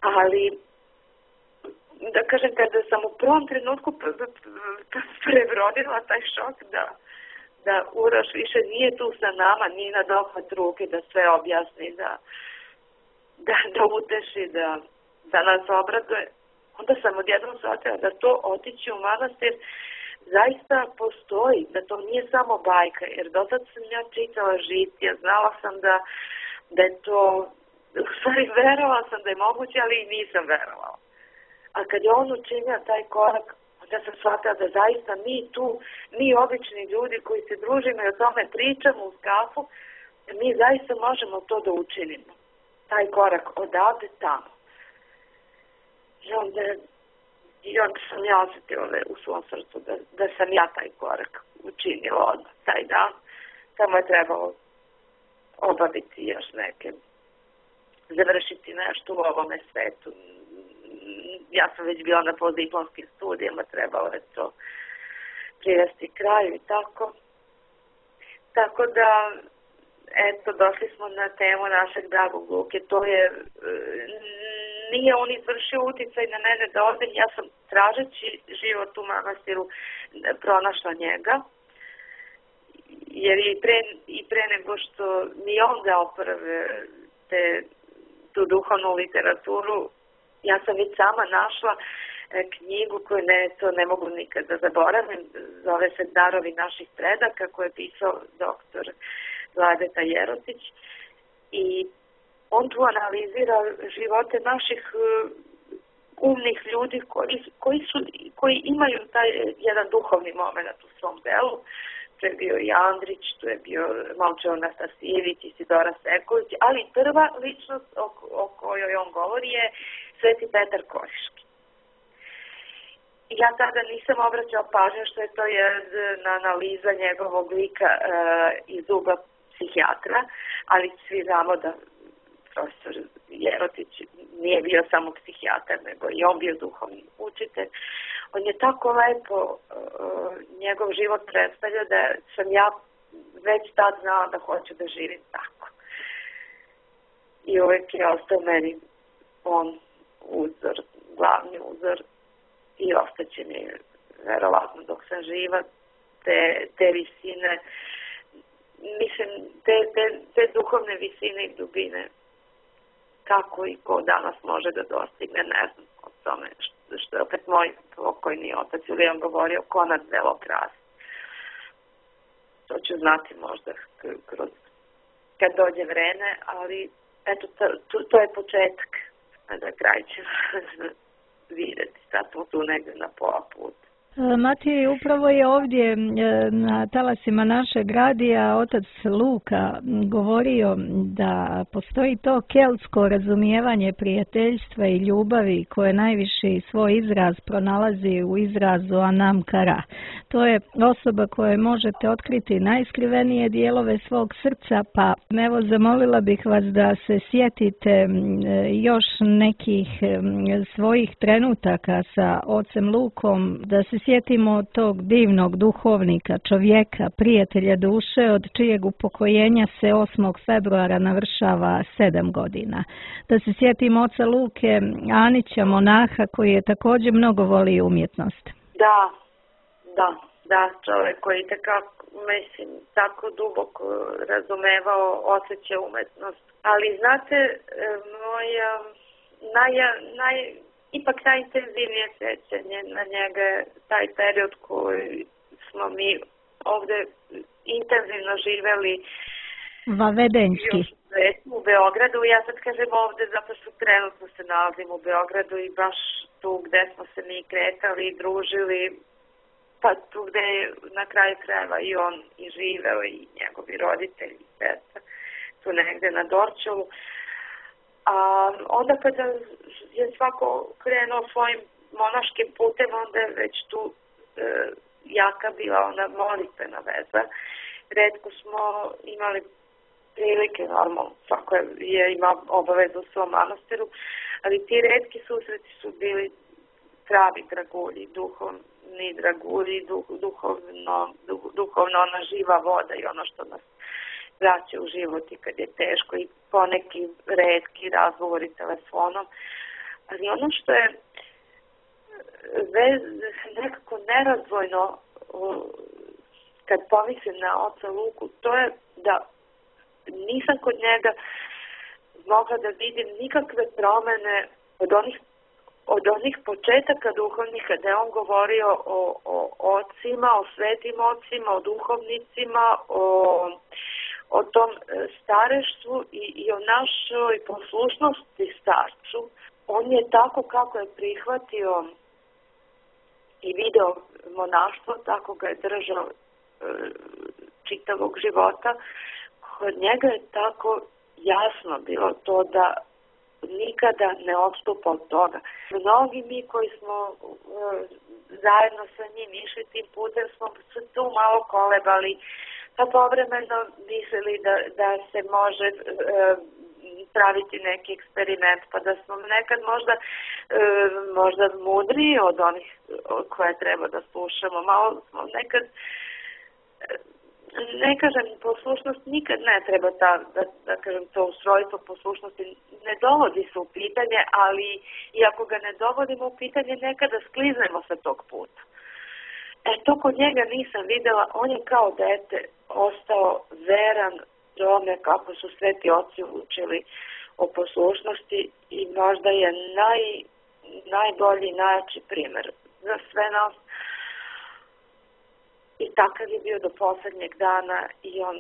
[SPEAKER 2] Ali, da kažem, kada sam u prvom trenutku prebrodila taj šok da, da Uroš više nije tu sa nama, nije na dohvat ruke da sve objasni, da, da, da uteši, da, da nas obraduje, onda sam odjednom shvatila da to otići u manastir zaista postoji, da to nije samo bajka, jer dotad sam ja čitala žitija, znala sam da, da je to, u stvari verovala sam da je moguće, ali i nisam verovala. A kad je on učinio taj korak, onda sam shvatila da zaista mi tu, mi obični ljudi koji se družimo i o tome pričamo uz kafu, mi zaista možemo to da učinimo. Taj korak odavde tamo. I onda, i onda sam ja osjetila u svom srcu da, da sam ja taj korak učinila odmah taj dan. Samo je trebalo obaviti još neke, završiti nešto u ovome svetu. Ja sam već bila na postdiplomskim studijama, trebalo je to privesti kraju i tako. Tako da, eto, došli smo na temu našeg dragog Luke. To je, nije on izvršio uticaj na mene da odem, ja sam tražeći život u manastiru pronašla njega. Jer i pre, i pre nego što mi on dao prve te, tu duhovnu literaturu, ja sam već sama našla e, knjigu koju ne, to ne mogu nikad da zaboravim, zove se Darovi naših predaka, koju je pisao doktor Vladeta Jerotić. I on tu analizira živote naših uh, umnih ljudi koji, koji, su, koji imaju taj jedan duhovni moment u svom delu. To je bio i Andrić, to je bio Momčilo Nastasijević, Isidora Sekulić, ali prva ličnost o, o kojoj on govori je Sveti Petar Koriški. Ja tada nisam obraćala pažnju što je to jedna analiza njegovog lika e, iz ugla psihijatra, ali svi znamo da profesor Jerotić nije bio samo psihijatar, nego i on bio duhovni učitelj. On je tako lepo uh, njegov život predstavlja da sam ja već tad znala da hoću da živim tako. I uvijek je ostao meni on uzor, glavni uzor i ostaće mi verovatno dok sam živa te, te visine, mislim, te, te, te duhovne visine i dubine kako i ko danas može da dostigne, ne znam o tome što, što je opet moj pokojni otac Julijan govorio, ko nad velo krasi. To ću znati možda kroz, kad dođe vreme, ali eto, to, to, to je početak, a da kraj ćemo vidjeti, sad smo tu negdje na pola puta.
[SPEAKER 1] Matije, upravo je ovdje na talasima našeg radija otac Luka govorio da postoji to keltsko razumijevanje prijateljstva i ljubavi koje najviši svoj izraz pronalazi u izrazu Anam Cara. To je osoba koje možete otkriti najskrivenije dijelove svog srca, pa evo zamolila bih vas da se sjetite još nekih svojih trenutaka sa ocem Lukom, da se sjetimo tog divnog duhovnika, čovjeka, prijatelja duše, od čijeg upokojenja se osmog februara navršava sedam godina. Da se sjetimo oca Luke Anića, monaha, koji je također mnogo volio umjetnost.
[SPEAKER 2] Da, da, da, čovjek koji tekako, mislim, tako duboko razumevao, osjeća umetnost. Ali znate, moja naj, naj, ipak najintenzivnije sjećanje na njega je taj period koji smo mi ovdje intenzivno živjeli
[SPEAKER 1] Vavedenjski.
[SPEAKER 2] U Beogradu. Ja sad kažem ovdje zato što trenutno se nalazim u Beogradu i baš tu gdje smo se mi kretali i družili, pa tu gdje je na kraju krajeva i on i živeo i njegovi roditelji i sestra, tu negdje na Dorčelu. A onda kada je svako krenuo svojim monaškim putem, onda je već tu e, jaka bila ona molitvena veza. Retko smo imali prilike, normalno, svako je imao obavezu u svom manastiru, ali ti retki susreti su bili pravi dragulji, duhovni dragulji, duh, duhovno, duh, duhovno ona živa voda i ono što nas vraća u život i kad je teško i poneki retki razgovori telefonom. Ali ono što je vez, nekako nerazdvojno kad pomislim na oca Luku, to je da nisam kod njega mogla da vidim nikakve promene od onih, od onih početaka duhovnih kada je on govorio o, o ocima, o svetim ocima, o duhovnicima, o, o tom stareštvu i, i o našoj poslušnosti starcu. On je tako kako je prihvatio i video monaštvo, tako ga je držao e, čitavog života. Kod njega je tako jasno bilo to da nikada ne odstupa od toga. Mnogi mi koji smo e, zajedno sa njim išli tim putem smo se tu malo kolebali, pa povremeno mislili da, da se može e, praviti neki eksperiment, pa da smo nekad možda, e, možda mudriji od onih koje treba da slušamo. Malo smo nekad... E, Ne kažem, poslušnost nikad ne treba, ta, da, da kažem, to ustrojstvo poslušnosti ne dovodi se u pitanje, ali i ako ga ne dovodimo u pitanje, nekada skliznemo sa tog puta. E, to kod njega nisam videla, on je kao dete ostao veran tome kako su sveti oci učili o poslušnosti i možda je naj, najbolji, najjači primjer za sve nas. I takav je bio do posljednjeg dana i on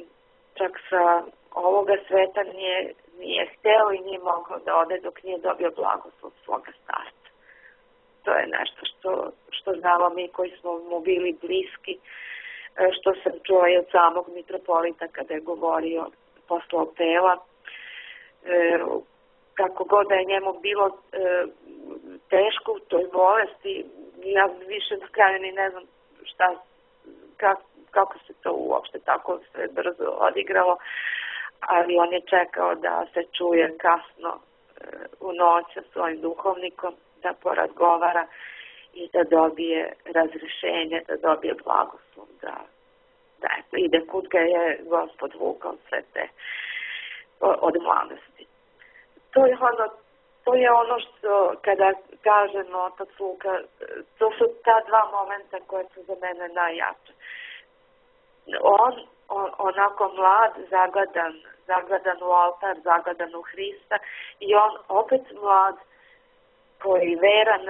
[SPEAKER 2] čak sa ovoga sveta nije, nije hteo i nije mogao da ode dok nije dobio blagoslov svoga starca. To je nešto što, što znamo mi koji smo mu bili bliski, što sam čula i od samog mitropolita kada je govorio posle opela. E, kako god da je njemu bilo e, teško u toj bolesti, ja više na kraju ni ne znam šta Kako, kako se to uopšte tako sve brzo odigralo, ali on je čekao da se čuje kasno e, u noć sa svojim duhovnikom, da porazgovara i da dobije razrešenje, da dobije blagoslov, da, da eto, ide kud ga je Gospod vukao sve te od mladosti. To je ono, to je ono što kada kažemo otac Luka, to su ta dva momenta koje su za mene najjače. On, on onako mlad, zagledan, zagledan u oltar, zagledan u Hrista i on opet mlad koji veran,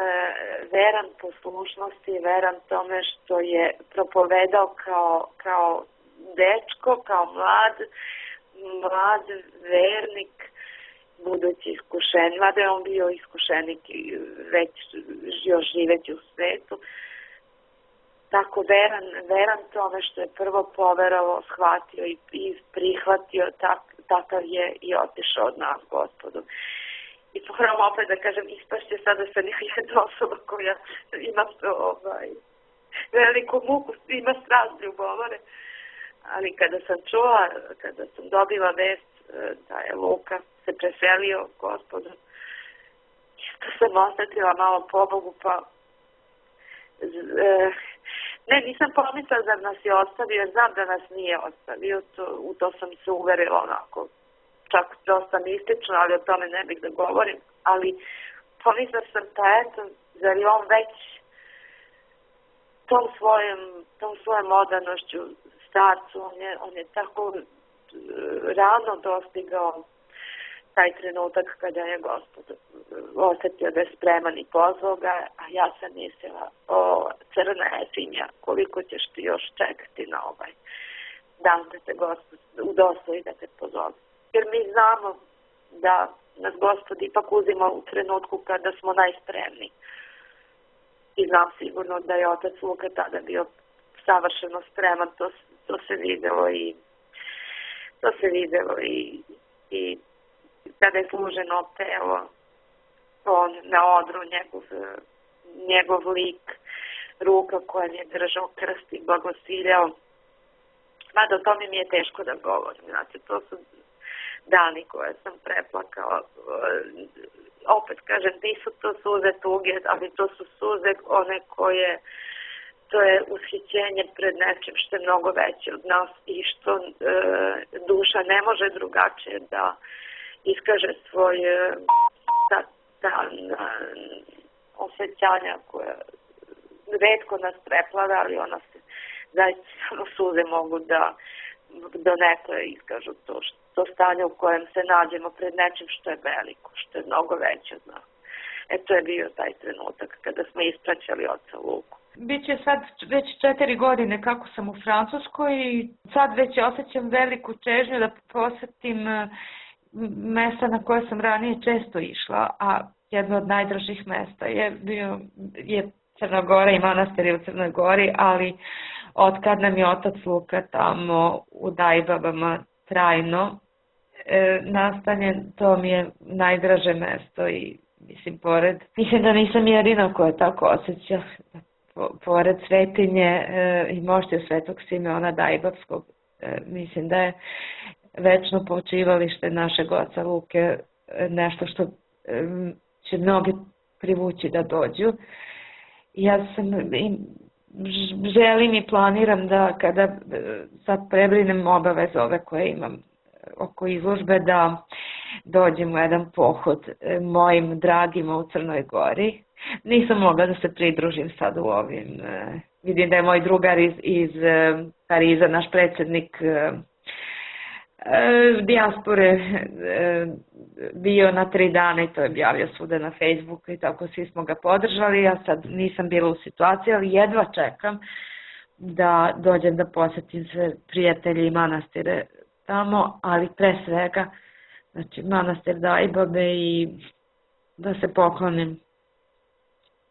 [SPEAKER 2] veran poslušnosti, veran tome što je propovedao kao, kao dečko, kao mlad, mlad vernik, budući iskušen, mada je on bio iskušenik i već još živeti u svetu. Tako veran, veran tome što je prvo poverovao, shvatio i, i prihvatio, tak, takav je i otišao od nas, Gospodu. I moram opet da kažem, ispašće sada sa jedna osoba koja ima ovaj, veliku muku, ima strast ljubomore. Ali kada sam čula, kada sam dobila vest da je Luka se preselio Gospodu, to sam osetila malo pobogu, pa ne, nisam pomislila da nas je ostavio, jer znam da nas nije ostavio, to, u to sam se uverila onako, čak dosta mistično, ali o tome ne bih da govorim, ali pomislila sam pa eto, zar je on već tom svojom, tom svojom modernošću starcu, on je, on je tako rano dostigao taj trenutak kada je Gospod osjetio da je spreman i pozvao ga, a ja sam mislila, o crna Efinja, koliko ćeš ti još čekati na ovaj dan da te Gospod udostoji da te pozove. Jer mi znamo da nas Gospod ipak uzima u trenutku kada smo najspremniji. I znam sigurno da je otac Luka tada bio savršeno spreman, to, to se videlo i to se videlo i, i kada je služeno telo, on na odru, njegov, njegov lik, ruka koja mi je držao krst i blagosiljao. Mada o tome mi je teško da govorim, znači to su dani koje sam preplakao. Opet kažem, nisu to suze tuge, ali to su suze one koje, to je ushićenje pred nečim što je mnogo veće od nas i što e, duša ne može drugačije da iskaže svoje ta, ta, osjećanja koje retko nas preplada, ali ona se zaista samo suze mogu da donekle iskažu to, to stanje u kojem se nađemo pred nečim što je veliko, što je mnogo veće od nas. E to je bio taj trenutak kada smo ispraćali oca Luku.
[SPEAKER 3] Biće sad već četiri godine kako sam u Francuskoj i sad već osjećam veliku čežnju da posjetim mesta na koje sam ranije često išla, a jedno od najdražih mesta je bio je Crna Gora i manastiri u Crnoj Gori, ali otkad nam je otac Luka tamo u Dajbabama trajno e, nastanjen, to mi je najdraže mesto i mislim pored, mislim da nisam jedina koja tako osjeća, po, pored svetinje e, i moštiju Svetog Simeona Dajbabskog, e, mislim da je večno počivalište našeg oca Luke e, nešto što e, će mnogi privući da dođu. Ja sam želim i planiram da kada sad prebrinem obaveze ove koje imam oko izložbe, da dođem u jedan pohod mojim dragima u Crnoj Gori. Nisam mogla da se pridružim sad u ovim. Vidim da je moj drugar iz, iz Pariza, naš predsjednik dijaspore, bio na tri dana i to je objavio svuda na Facebooku i tako svi smo ga podržali. Ja sad nisam bila u situaciji, ali jedva čekam da dođem da posjetim sve prijatelje i manastire tamo, ali pre svega znači manastir Dajbabe i da se poklonim.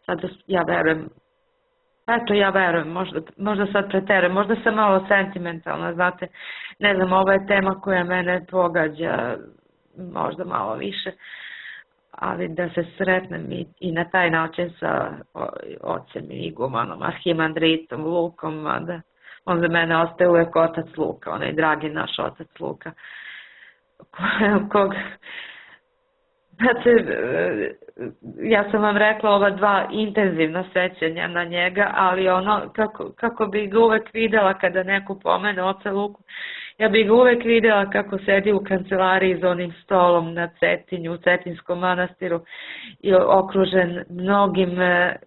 [SPEAKER 3] Sad ja verujem, eto ja verujem, možda, možda sad preterujem, možda sam malo sentimentalna, znate, ne znam, ovo je tema koja mene pogađa možda malo više, ali da se sretnem i, i na taj način sa ocem i igumanom, arhimandritom, Lukom, da on za mene ostaje uvek otac Luka, onaj dragi naš otac Luka, kog, znači, ja sam vam rekla ova dva intenzivna sećanja na njega, ali ono, kako, kako bi ga uvek videla kada neko pomene oca Luku, ja bih ga uvek videla kako sedi u kancelariji za onim stolom na Cetinju, u Cetinskom manastiru i okružen mnogim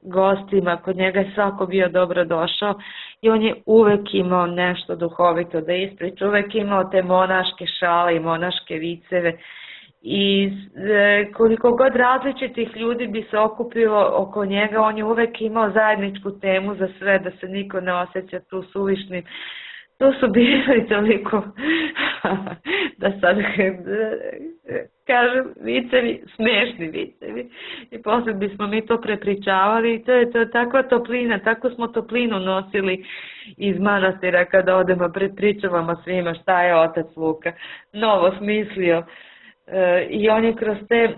[SPEAKER 3] gostima, kod njega je svako bio dobro došao i on je uvek imao nešto duhovito da ispriča, uvek imao te monaške šale i monaške viceve. I koliko god različitih ljudi bi se okupilo oko njega, on je uvek imao zajedničku temu za sve, da se niko ne osjeća tu suvišnim. To su bili toliko, da sad kažem, vicevi, smešni vicevi. I posle bismo mi to prepričavali i to je to, takva toplina, tako smo toplinu nosili iz manastira kada odemo prepričavamo svima šta je otac Luka novo smislio. I on je kroz te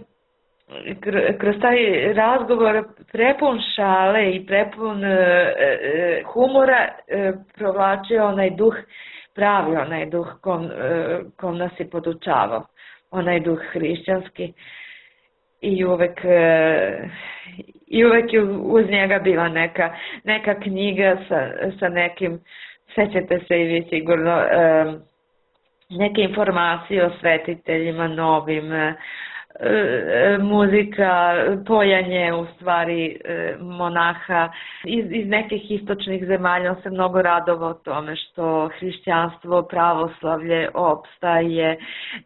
[SPEAKER 3] kroz taj razgovor prepun šale i prepun humora provlačio onaj duh, pravi onaj duh kom, kom nas je podučavao, onaj duh hrišćanski. i uvek i uvek je uz njega bila neka, neka knjiga sa, sa nekim, sećate se i vi sigurno, neke informacije o svetiteljima novim, muzika, pojanje u stvari monaha iz, iz nekih istočnih zemalja. On se mnogo radovao tome što hrišćanstvo, pravoslavlje opstaje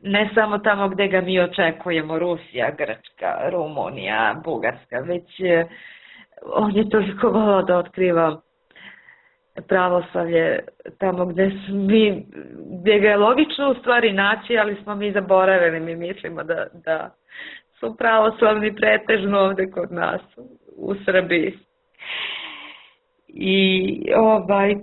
[SPEAKER 3] ne samo tamo gde ga mi očekujemo, Rusija, Grčka, Rumunija, Bugarska, već on je toliko volao da otkriva pravoslavlje tamo gde mi, gdje ga je logično u stvari naći, ali smo mi zaboravili, mi mislimo da, da su pravoslavni pretežno ovde kod nas u Srbiji. I ovaj,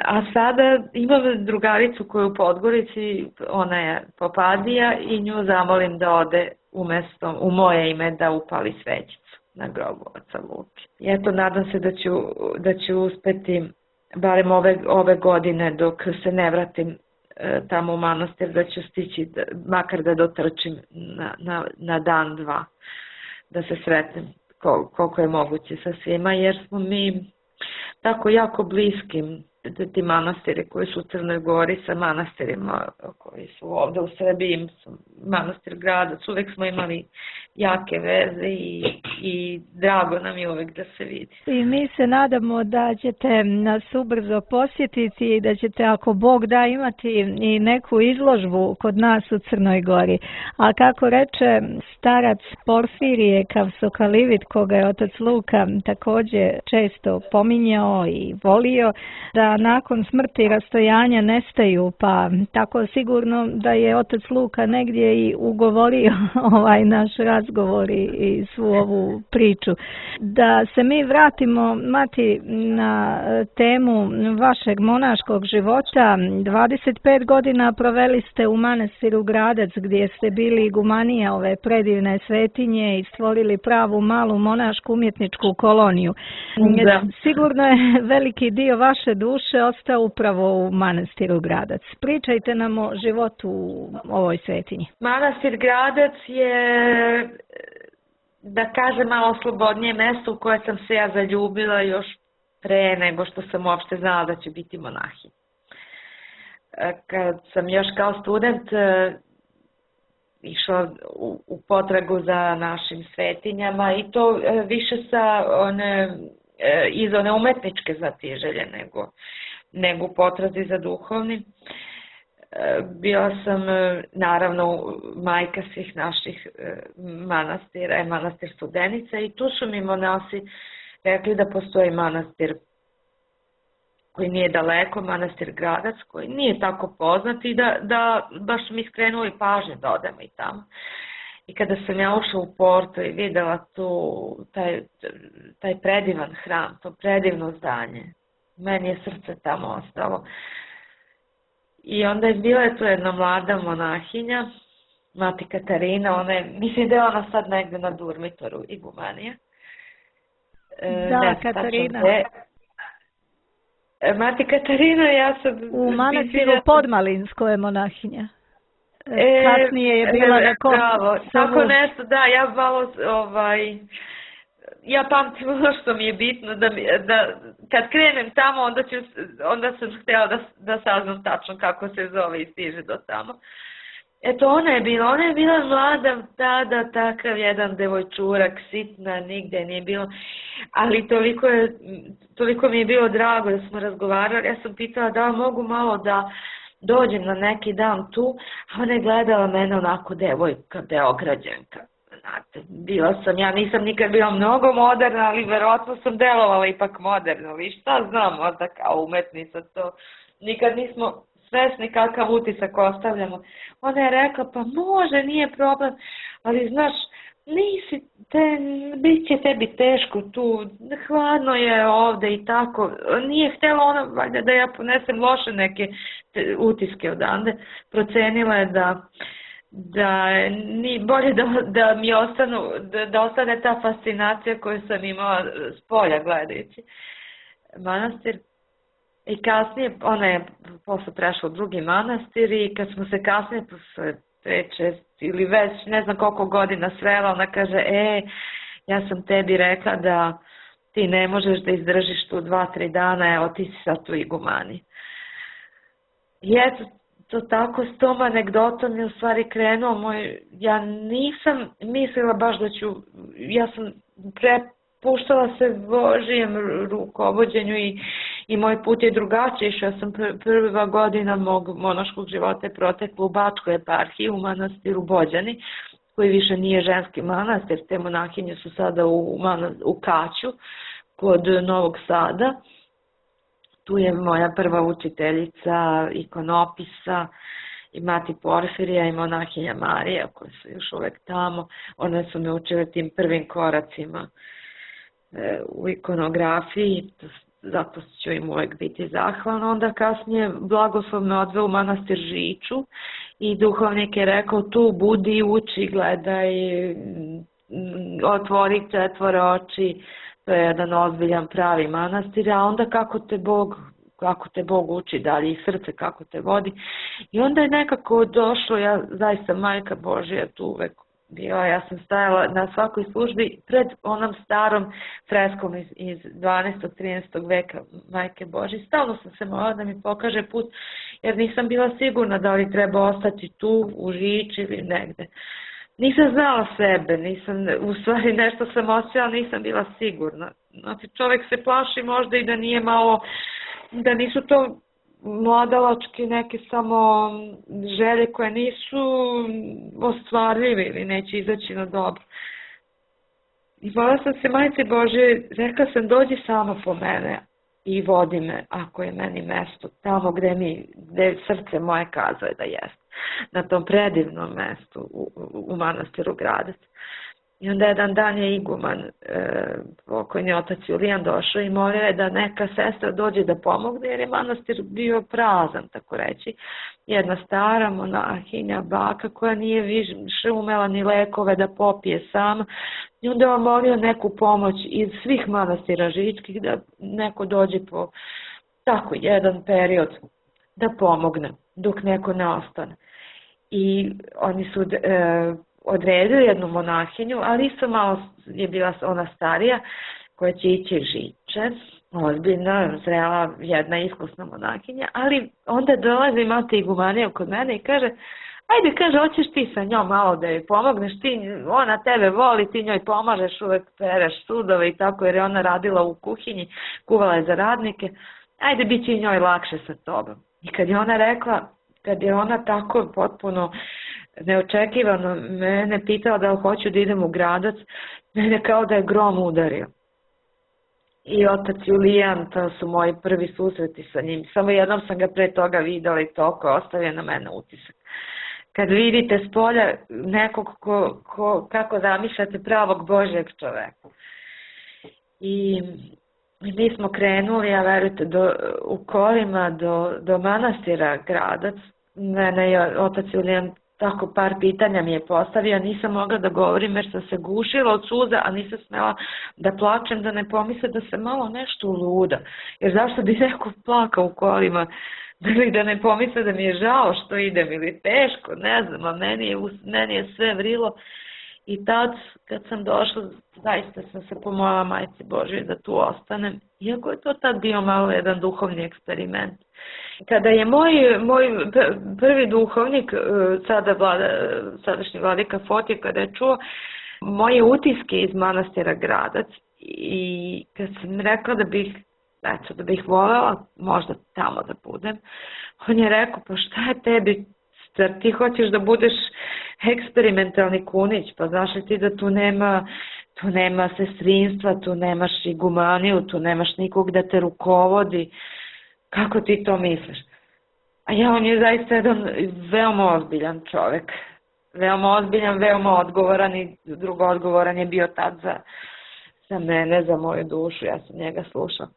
[SPEAKER 3] a sada imam drugaricu koju u Podgorici, ona je Popadija i nju zamolim da ode umesto, u moje ime da upali svećicu na grobu oca Luke. I eto, nadam se da ću, da ću uspeti barem ove, ove godine dok se ne vratim e, tamo u manastir, da ću stići da, makar da dotrčim na, na, na dan dva, da se sretnem kol, koliko je moguće sa svima, jer smo mi tako jako bliskim, ti manastiri koji su u Crnoj Gori sa manastirima koji su ovde u Srbiji, manastir Gradac, uvek smo imali jake veze i, i drago nam je uvek da se vidi.
[SPEAKER 1] I mi se nadamo da ćete nas ubrzo posjetiti i da ćete, ako Bog da, imati i neku izložbu kod nas u Crnoj Gori. A kako reče starac Porfirije Kavsokalivit, koga je otac Luka također često pominjao i volio, da nakon smrti i rastojanja nestaju, pa tako sigurno da je otac Luka negdje i ugovorio ovaj naš razgovor i svu ovu priču. Da se mi vratimo, Mati, na temu vašeg monaškog života. dvadeset pet godina proveli ste u manastiru Gradac, gdje ste bili igumanija ove predivne svetinje i stvorili pravu malu monašku umjetničku koloniju. Da. Sigurno je veliki dio vaše duše ostao upravo u manastiru Gradac. Pričajte nam o životu u ovoj svetinji.
[SPEAKER 3] Manastir Gradac je, da kažem, malo slobodnije mesto u koje sam se ja zaljubila još pre nego što sam uopšte znala da ću biti monahinja. Kad sam još kao student išla u, u potragu za našim svetinjama i to više sa one, iz one umetničke znatiželje nego, nego u potrazi za duhovnim. Bila sam naravno majka svih naših manastira, je manastir Studenica, i tu su mi monasi rekli da postoji manastir koji nije daleko, manastir Gradac, koji nije tako poznat i da, da baš su mi skrenuli pažnje da odemo i tamo. I kada sam ja ušla u Porto i videla tu taj, taj predivan hram, to predivno zdanje, meni je srce tamo ostalo. I onda je bila je tu jedna mlada monahinja, mati Katarina, ona je, mislim da je ona sad negde na Durmitoru, igumanija.
[SPEAKER 1] Da, ne, Katarina.
[SPEAKER 3] Mati Katarina, ja sam...
[SPEAKER 1] U manastiru Podmalinsko je monahinja. E, Kasnije je bila na kom...
[SPEAKER 3] Bravo, tako nešto, da, ja malo, ovaj... Ja pamtim ono što mi je bitno, da, mi, da kad krenem tamo, onda, ću, onda sam htjela da, da saznam tačno kako se zove i stiže do tamo. Eto, ona je bila, ona je bila mlada tada, takav jedan devojčurak, sitna, nigde nije bilo, ali toliko, je, toliko mi je bilo drago da smo razgovarali. Ja sam pitala da mogu malo da dođem na neki dan tu, a ona je gledala mene onako devojka, Beograđanka. Znate, bila sam, ja nisam nikad bila mnogo moderna, ali verovatno sam delovala ipak moderno, ali šta znam, možda kao umetnica to, nikad nismo svesni kakav utisak ostavljamo. Ona je rekla, pa može, nije problem, ali znaš, nisi, te, bit će tebi teško tu, hladno je ovde i tako, nije htjela ona valjda da ja ponesem loše neke utiske odande, procenila je da da ni bolje da, da mi ostanu, da, da ostane ta fascinacija koju sam imala s polja gledajući manastir. I kasnije, ona je posle prešla u drugi manastir i kad smo se kasnije posle pet, šest ili već ne znam koliko godina srela, ona kaže, e, ja sam tebi rekla da ti ne možeš da izdržiš tu dva, tri dana, evo ti si sad tu igumani. I eto, to tako s tom anegdotom je u stvari krenuo moj, ja nisam mislila baš da ću, ja sam prepuštala se Božijem rukovođenju i, i moj put je drugačiji, što ja sam pr prva godina mog monaškog života je protekla u Bačkoj eparhiji, u manastiru Bođani, koji više nije ženski manastir, te monahinje su sada u, u Kaću, kod Novog Sada. Tu je moja prva učiteljica ikonopisa i mati Porfirija i monahinja Marija, koje su još uvek tamo. One su me učile tim prvim koracima e, u ikonografiji, zato ću im uvek biti zahvalna. Onda kasnije blagoslov me odveo u manastir Žiču i duhovnik je rekao, tu budi, uči, gledaj, otvori četvore oči. To je jedan ozbiljan pravi manastir, a onda kako te Bog, kako te Bog uči dalje i srce kako te vodi. I onda je nekako došlo, ja zaista Majka Božja tu uvek bila, ja sam stajala na svakoj službi pred onom starom freskom iz, iz dvanaestog trinaestog veka Majke Božje. Stalno sam se molila da mi pokaže put, jer nisam bila sigurna da li treba ostati tu u Žiči ili negde. Nisam znala sebe, nisam, u stvari nešto sam osjećala, nisam bila sigurna. Znači, čovjek se plaši možda i da nije malo, da nisu to mladalačke neke samo želje koje nisu ostvarljive ili neće izaći na dobro. I volila sam se Majci Božje, rekla sam, dođi sama po mene i vodi me, ako je meni mesto, tamo gde mi, gde srce moje kazuje da jest, na tom predivnom mestu u, u manastiru Gradac. I onda jedan dan je iguman, e, pokojni otac Julijan došao i molio je da neka sestra dođe da pomogne, jer je manastir bio prazan, tako reći. Jedna stara monahinja, baka, koja nije više umela ni lekove da popije sama. I onda je molio neku pomoć iz svih manastira žičkih, da neko dođe po tako jedan period da pomogne, dok neko ne ostane. I oni su e, odredili jednu monahinju, ali isto malo je bila ona starija, koja će ići Žiče, ozbiljna, zrela, jedna iskusna monahinja, ali onda dolazi mati igumanija kod mene i kaže, ajde, kaže, hoćeš ti sa njom malo da joj pomogneš, ti, ona tebe voli, ti njoj pomažeš, uvek pereš sudove i tako, jer je ona radila u kuhinji, kuvala je za radnike, ajde, bit će i njoj lakše sa tobom. I kad je ona rekla, kad je ona tako potpuno neočekivano mene pitala da li hoću da idem u Gradac, mene kao da je grom udario. I otac Julijan, to su moji prvi susreti sa njim. Samo jednom sam ga pre toga videla i toliko ostavio na mene utisak. Kad vidite s polja nekog ko, ko, kako zamišljate pravog Božjeg čoveka. I mi smo krenuli, a verujte, do, u kolima do, do manastira Gradac. Mene je otac Julijan tako par pitanja mi je postavio, nisam mogla da govorim jer sam se gušila od suza, a nisam smela da plačem, da ne pomisle da se malo nešto luda. Jer zašto bi neko plakao u kolima, ili da ne pomisle da mi je žao što idem ili teško, ne znam, a meni je, meni je sve vrilo. I tad, kad sam došla, zaista sam se pomolila Majci Božjoj da tu ostanem, iako je to tad bio malo jedan duhovni eksperiment. Kada je moj, moj prvi duhovnik, sada vlada, sadašnji vladika Fotije, kada je čuo moje utiske iz manastira Gradac i kad sam rekla da bih, eto, da bih voljela možda tamo da budem, on je rekao, pa šta je tebi, ti hoćeš da budeš eksperimentalni kunić, pa znaš li ti da tu nema, tu nema sestrinstva, tu nemaš igumaniju, tu nemaš nikog da te rukovodi. Kako ti to misliš? A ja, on je zaista jedan veoma ozbiljan čovek. Veoma ozbiljan, veoma odgovoran i drugo odgovoran je bio tad za, za mene, za moju dušu. Ja sam njega slušala.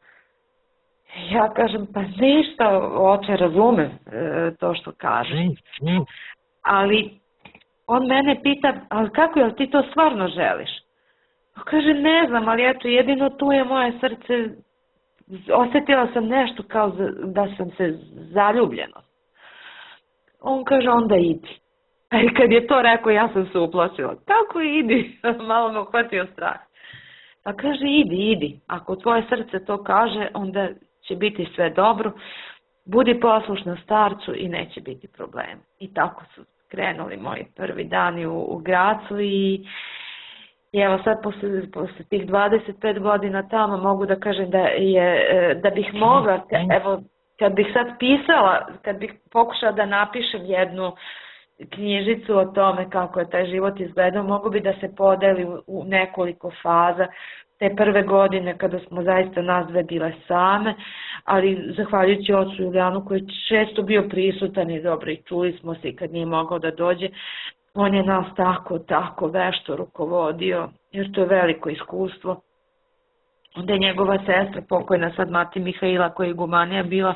[SPEAKER 3] Ja kažem, pa ništa, oče, razumem e, to što kažeš. Ali on mene pita, ali kako, jel ti to stvarno želiš? Pa kaže, ne znam, ali eto, jedino tu je moje srce, osjetila sam nešto kao da sam se zaljubljeno. On kaže, onda idi. I kad je to rekao, ja sam se uplašila. Kako idi? Malo me uhvatio strah. Pa kaže, idi, idi. Ako tvoje srce to kaže, onda će biti sve dobro. Budi poslušna starcu i neće biti problema. I tako su krenuli moji prvi dani u, u Gracu i, i evo sad posle, posle tih dvadeset pet godina tamo mogu da kažem da, je, da bih mogla, evo kad bih sad pisala, kad bih pokušala da napišem jednu knjižicu o tome kako je taj život izgledao, mogu bi da se podeli u, u nekoliko faza. Te prve godine kada smo zaista nas dve bile same, ali zahvaljujući ocu Julijanu koji je često bio prisutan i dobro i čuli smo se i kad nije mogao da dođe, on je nas tako, tako vešto rukovodio, jer to je veliko iskustvo. Onda je njegova sestra, pokojna sad mati Mihaila, koja je igumanija, bila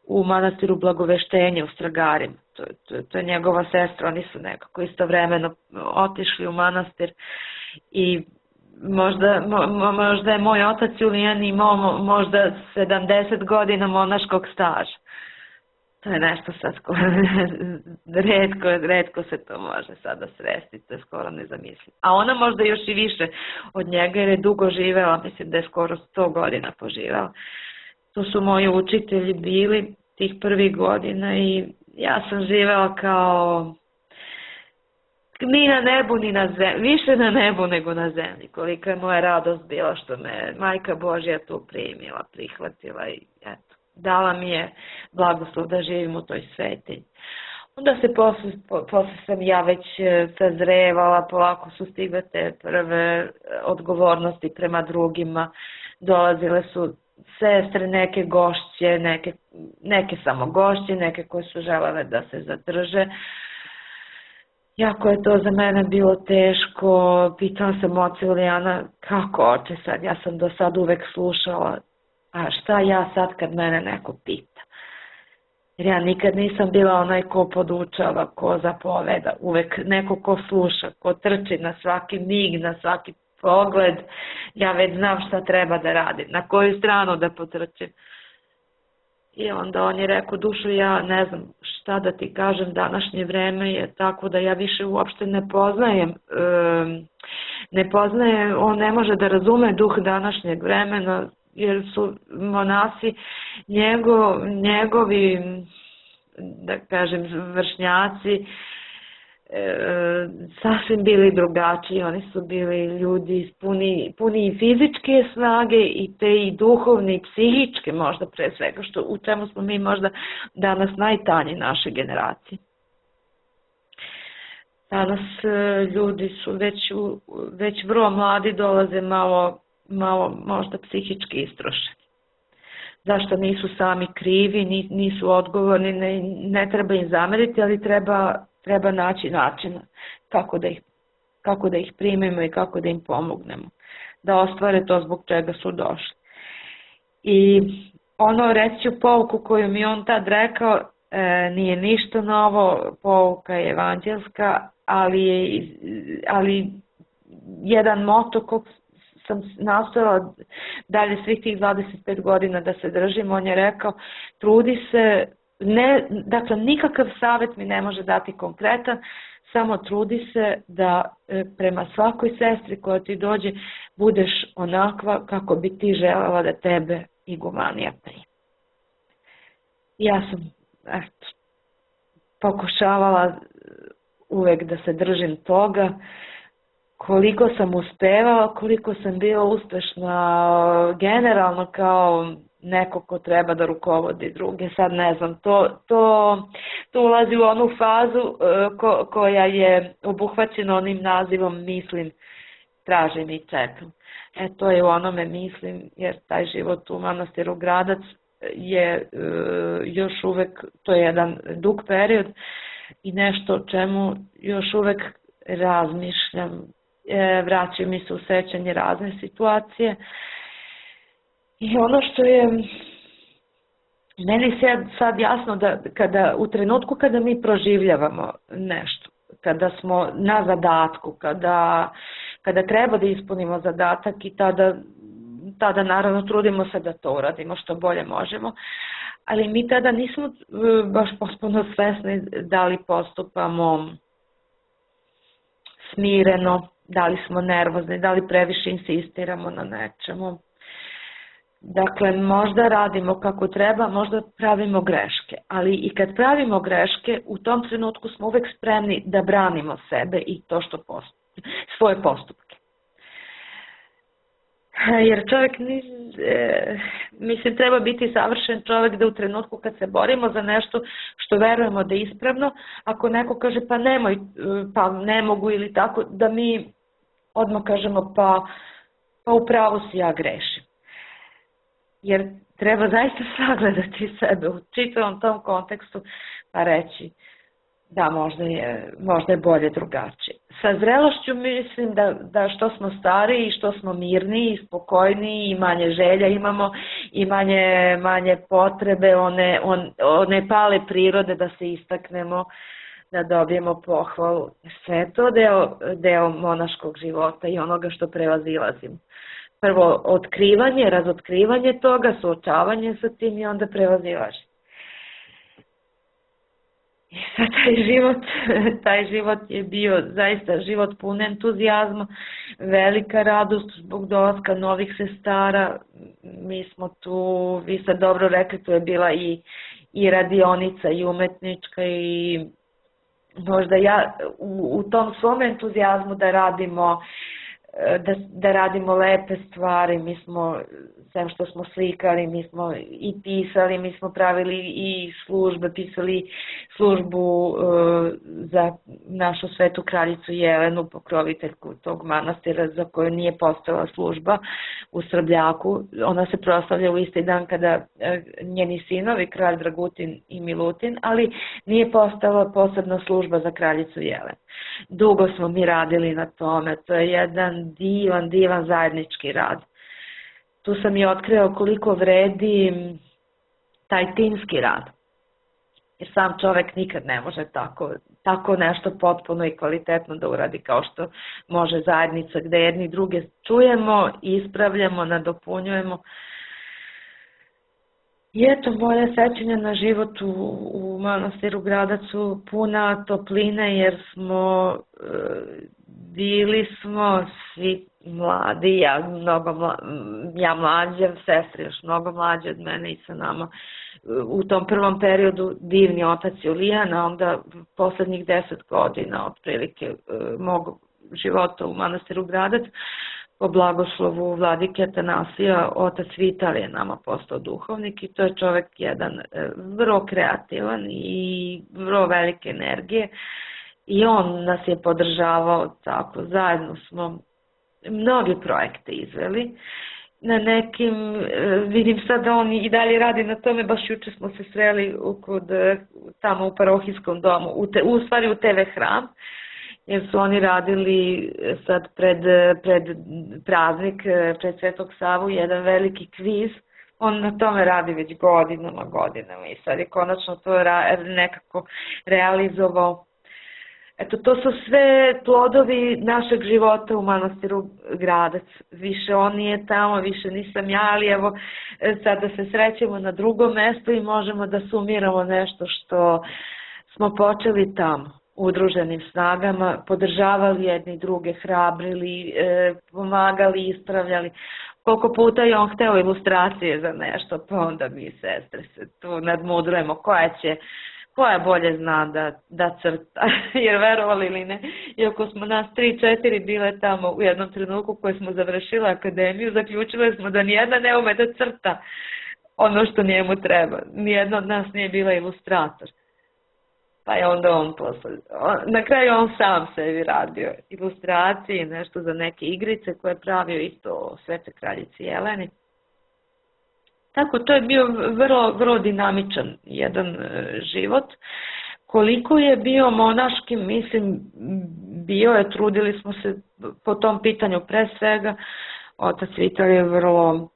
[SPEAKER 3] u manastiru Blagoveštenja u Stragarima. To, to, to je njegova sestra, oni su nekako istovremeno otišli u manastir i možda, mo, možda je moj otac Julijan imao možda sedamdeset godina monaškog staža. To je nešto sad skoro, redko, redko se to može sada sresti, to je skoro nezamislivo. A ona možda još i više od njega jer je dugo živela, mislim da je skoro sto godina poživela. To su moji učitelji bili tih prvih godina i ja sam živela kao ni na nebu ni na zemlji, više na nebu nego na zemlji. Kolika je moja radost bila što me Majka Božja tu primila, prihvatila i eto. Dala mi je blagoslov da živim u toj svetinji. Onda se posle, posle sam ja već sazrevala, polako su stigle te prve odgovornosti prema drugima, dolazile su sestre, neke gošće, neke, neke samo gošće, neke koje su želele da se zadrže. Jako je to za mene bilo teško, pitala sam oca Julijana, kako oče sad, ja sam do sad uvek slušala, a šta ja sad kad mene neko pita? Jer ja nikad nisam bila onaj ko podučava, ko zapoveda, uvek neko ko sluša, ko trči na svaki mig, na svaki pogled, ja već znam šta treba da radim, na koju stranu da potrčim. I onda on je rekao, dušo, ja ne znam šta da ti kažem, današnje vreme je tako da ja više uopšte ne poznajem, ne poznajem, on ne može da razume duh današnjeg vremena, jer su monasi njegov, njegovi, da kažem, vršnjaci, e, sasvim bili drugačiji. Oni su bili ljudi puni, puni i fizičke snage i te i duhovne i psihičke možda pre svega, što, u čemu smo mi možda danas najtanji naše generacije. Danas ljudi su već, već vrlo mladi, dolaze malo malo možda psihički istrošeni. Zašto nisu sami krivi, nisu odgovorni, ne, ne treba im zameriti, ali treba, treba naći načina kako da, ih, kako da ih primimo i kako da im pomognemo, da ostvare to zbog čega su došli. I ono, reći ću pouku koju mi on tad rekao, e, nije ništa novo, pouka je evanđelska, ali je ali jedan moto kog sam nastojala dalje svih tih dvadeset pet godina da se držim, on je rekao, trudi se, ne, dakle nikakav savjet mi ne može dati konkretan, samo trudi se da prema svakoj sestri koja ti dođe budeš onakva kako bi ti želela da tebe igumanija primi. Ja sam eto, pokušavala uvek da se držim toga. Koliko sam uspevala, koliko sam bila uspešna generalno kao neko ko treba da rukovodi druge, sad ne znam, to, to, to ulazi u onu fazu ko, koja je obuhvaćena onim nazivom mislim, tražim i čekam. E to je u onome mislim, jer taj život u manastiru Gradac je još uvek, to je jedan dug period i nešto o čemu još uvek razmišljam. Vraćaju mi se u sećanje razne situacije i ono što je meni sad, sad jasno da kada, u trenutku kada mi proživljavamo nešto, kada smo na zadatku, kada, kada treba da ispunimo zadatak i tada, tada naravno trudimo se da to uradimo što bolje možemo, ali mi tada nismo baš potpuno svesni da li postupamo smireno, da li smo nervozni, da li previše insistiramo na nečemu. Dakle, možda radimo kako treba, možda pravimo greške, ali i kad pravimo greške, u tom trenutku smo uvek spremni da branimo sebe i to što postup, svoje postupke. Jer čovjek, mislim, treba biti savršen čovjek da u trenutku kad se borimo za nešto što verujemo da je ispravno, ako neko kaže pa nemoj, pa ne mogu ili tako, da mi odmah kažemo pa, pa upravo si, ja grešim. Jer treba zaista sagledati sebe u čitavom tom kontekstu pa reći da možda je, možda je bolje drugačije. Sa zrelošću mislim da, da što smo stariji, što smo mirniji, spokojniji i manje želja imamo i manje, manje potrebe, one, on, one pale prirode da se istaknemo, da dobijemo pohvalu. Sve je to deo, deo monaškog života i onoga što prevazilazimo. Prvo otkrivanje, razotkrivanje toga, suočavanje sa tim i onda prevazilaženje. I sad taj život, taj život je bio zaista život pun entuzijazma, velika radost zbog dolaska novih sestara. Mi smo tu, vi ste dobro rekli, tu je bila i, i radionica i umetnička i možda ja u, u tom svom entuzijazmu da radimo Da, da radimo lepe stvari, mi smo, sem što smo slikali, mi smo i pisali, mi smo pravili i službe, pisali službu uh, za našu svetu kraljicu Jelenu, pokroviteljku tog manastira za koju nije postojala služba u Srbljaku. Ona se proslavlja u isti dan kada uh, njeni sinovi, kralj Dragutin i Milutin, ali nije postojala posebna služba za kraljicu Jelenu. Dugo smo mi radili na tome, to je jedan divan, divan zajednički rad. Tu sam i otkrila koliko vredi taj timski rad. Jer sam čovek nikad ne može tako, tako nešto potpuno i kvalitetno da uradi kao što može zajednica gde jedni druge čujemo, ispravljamo, nadopunjujemo. I eto, moja sećanja na život u, u manastiru Gradac su puna topline jer smo, e, bili smo svi mladi, ja, mnogo mla, ja mlađa, sestre još mnogo mlađe od mene i sa nama. U tom prvom periodu divni otac Julijan, a onda poslednjih deset godina otprilike e, mog života u manastiru Gradac, po blagoslovu vladike Atanasija, otac Vital je nama postao duhovnik i to je čovek jedan vrlo kreativan i vrlo velike energije i on nas je podržavao tako, zajedno smo mnogi projekte izveli. Na nekim, vidim sad da on i dalje radi na tome, baš juče smo se sreli kod, tamo u parohijskom domu, u, te, u stvari u te ve hram, jer su oni radili sad pred, pred praznik, pred Svetog Savu, jedan veliki kviz. On na tome radi već godinama, godinama i sad je konačno to nekako realizovao. Eto, to su sve plodovi našeg života u manastiru Gradac. Više on nije tamo, više nisam ja, ali evo sada se srećemo na drugom mestu i možemo da sumiramo nešto što smo počeli tamo. Udruženim snagama, podržavali jedni druge, hrabrili, e, pomagali, ispravljali. Koliko puta je on hteo ilustracije za nešto, pa onda mi sestre se tu nadmudrujemo koja će, koja bolje zna da, da crta, jer verovali ili ne, iako smo nas tri, četiri bile tamo u jednom trenutku koje smo završile akademiju, zaključile smo da nijedna ne ume da crta ono što njemu treba. Nijedna od nas nije bila ilustrator. Pa je onda on posle, na kraju on sam sebi radio ilustracije, nešto za neke igrice koje je pravio isto o Svete kraljici Jeleni. Tako, to je bio vrlo, vrlo dinamičan jedan život. Koliko je bio monaški, mislim, bio je, trudili smo se po tom pitanju pre svega. Otac Vital je vrlo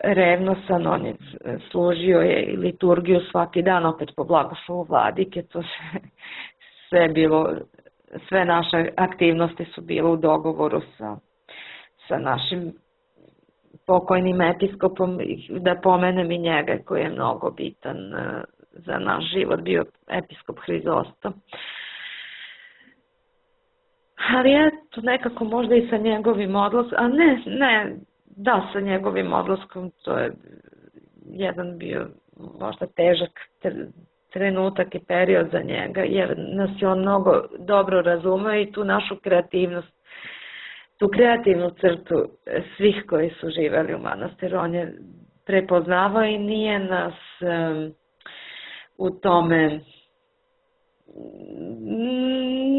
[SPEAKER 3] revnosan, on je služio je liturgiju svaki dan, opet po blagoslovu vladike, to sve, sve bilo, sve naše aktivnosti su bile u dogovoru sa, sa našim pokojnim episkopom, da pomenem i njega koji je mnogo bitan za naš život, bio episkop Hrizosto. ali eto nekako možda i sa njegovim odlaskom, a ne, ne, da sa njegovim odlaskom, to je jedan bio možda težak trenutak i period za njega, jer nas je on mnogo dobro razumeo i tu našu kreativnost, tu kreativnu crtu svih koji su živeli u manastiru, on je prepoznavao i nije nas um, u tome,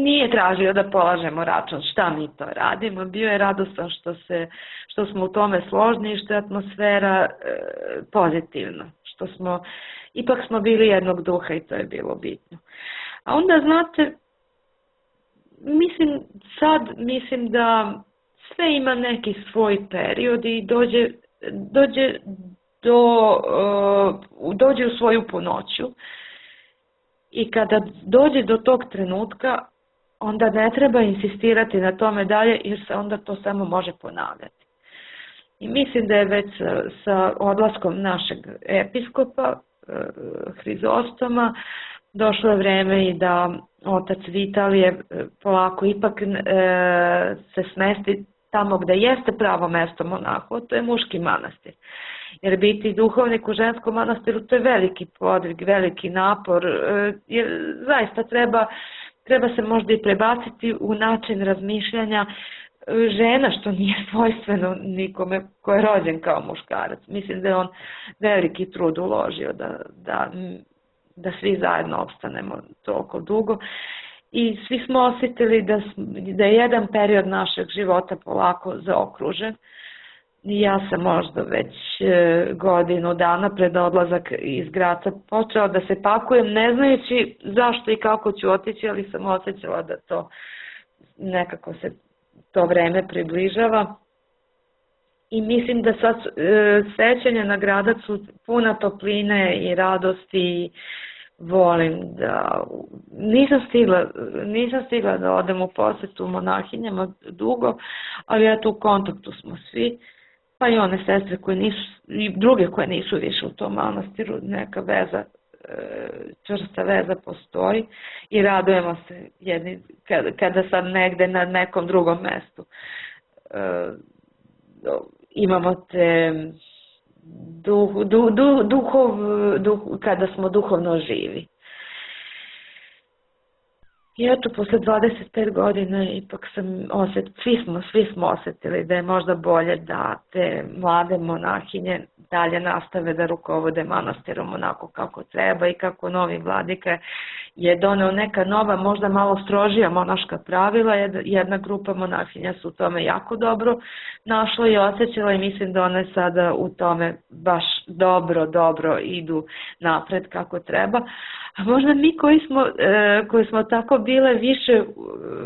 [SPEAKER 3] nije tražio da polažemo račun šta mi to radimo, bio je radostan što, se, što smo u tome složni i što je atmosfera e, pozitivna, što smo, ipak smo bili jednog duha i to je bilo bitno. A onda znate, mislim sad, mislim da sve ima neki svoj period i dođe, dođe, do, uh, dođe u svoju punoću i kada dođe do tog trenutka, onda ne treba insistirati na tome dalje jer se onda to samo može ponavljati. I mislim da je već sa, sa odlaskom našeg episkopa, uh, Hrizostoma, došlo je vreme i da otac Vitalije polako ipak uh, se smesti tamo gde jeste pravo mesto monahu, to je muški manastir. Jer biti duhovnik u ženskom manastiru, to je veliki podvig, veliki napor, jer zaista treba, treba se možda i prebaciti u način razmišljanja žena, što nije svojstveno nikome ko je rođen kao muškarac. Mislim da je on veliki trud uložio da, da, da svi zajedno opstanemo toliko dugo. I svi smo osjetili da, da je jedan period našeg života polako zaokružen. Ja sam možda već godinu dana pred odlazak iz Graca počela da se pakujem, ne znajući zašto i kako ću otići, ali sam osjećala da to nekako se to vreme približava. I mislim da sad sećanja na Gradac su puna topline i radosti i volim da, nisam stigla, nisam stigla da odem u posjetu monahinjama dugo, ali eto u kontaktu smo svi, pa i one sestre koje nisu, i druge koje nisu više u tom manastiru, neka veza, čvrsta veza postoji i radujemo se jedni, kada, kada sad negde na nekom drugom mestu imamo te Duh, duh, duh, duhov, duh, kada smo duhovno živi. I eto, posle dvadeset pet godina ipak sam osjetila, svi smo, svi smo osjetili da je možda bolje da te mlade monahinje dalje nastave da rukovode manastirom onako kako treba i kako novi vladika je doneo neka nova, možda malo strožija monaška pravila. Jedna grupa monahinja su u tome jako dobro našla i osjećala i mislim da one sada u tome baš dobro, dobro idu napred kako treba. A možda mi koji smo, e, koji smo tako bile više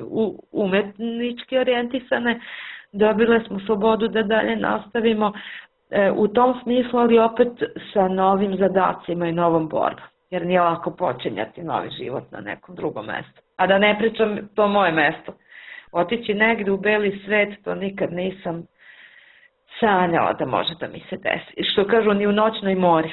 [SPEAKER 3] u, umetnički orijentisane, dobile smo slobodu da dalje nastavimo e, u tom smislu, ali opet sa novim zadacima i novom borbom. Jer nije lako počinjati novi život na nekom drugom mestu. A da ne pričam to moje mesto. Otići negdje u beli svet, to nikad nisam sanjala da može da mi se desi. I što kažu, ni u noćnoj mori.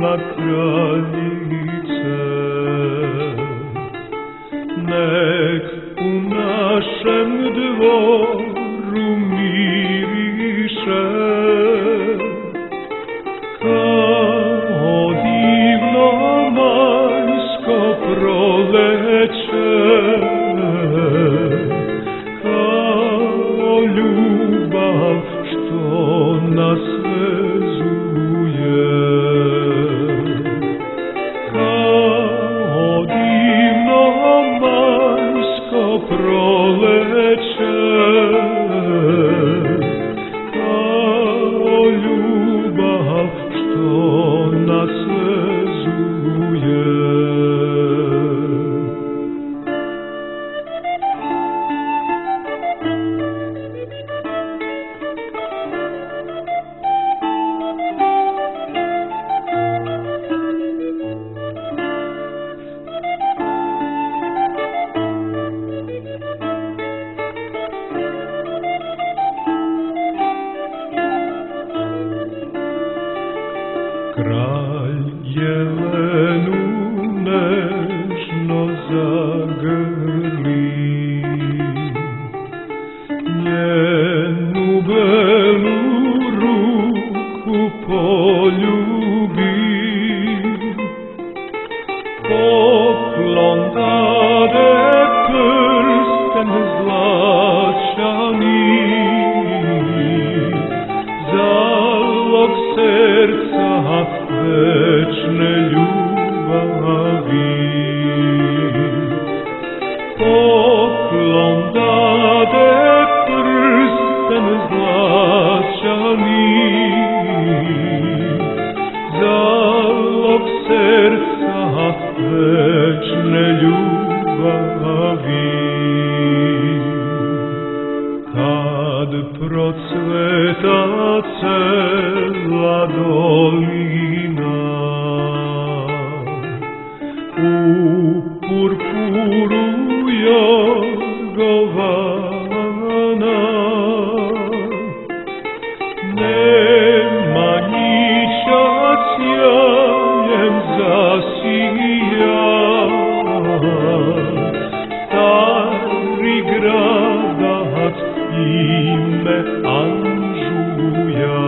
[SPEAKER 4] na kraljice, nek u našem dvoru miriše kao divno majsko proleće, kao ljubav što nas vezuje, kao divno majsko proleće, kao ljubav što nas vezuje. Kralj jelenu nežno zagrli, njenu belu ruku poljubi, poklon dade prsten zlačani, zalog srca večne ljubavi. Poklon dade prsten zlačani, zalog srca večne ljubavi. Kad procveta cela dolina, u purpuru jogovana, Nemanjića sjajem zasija, stari gradac ime Anžuja.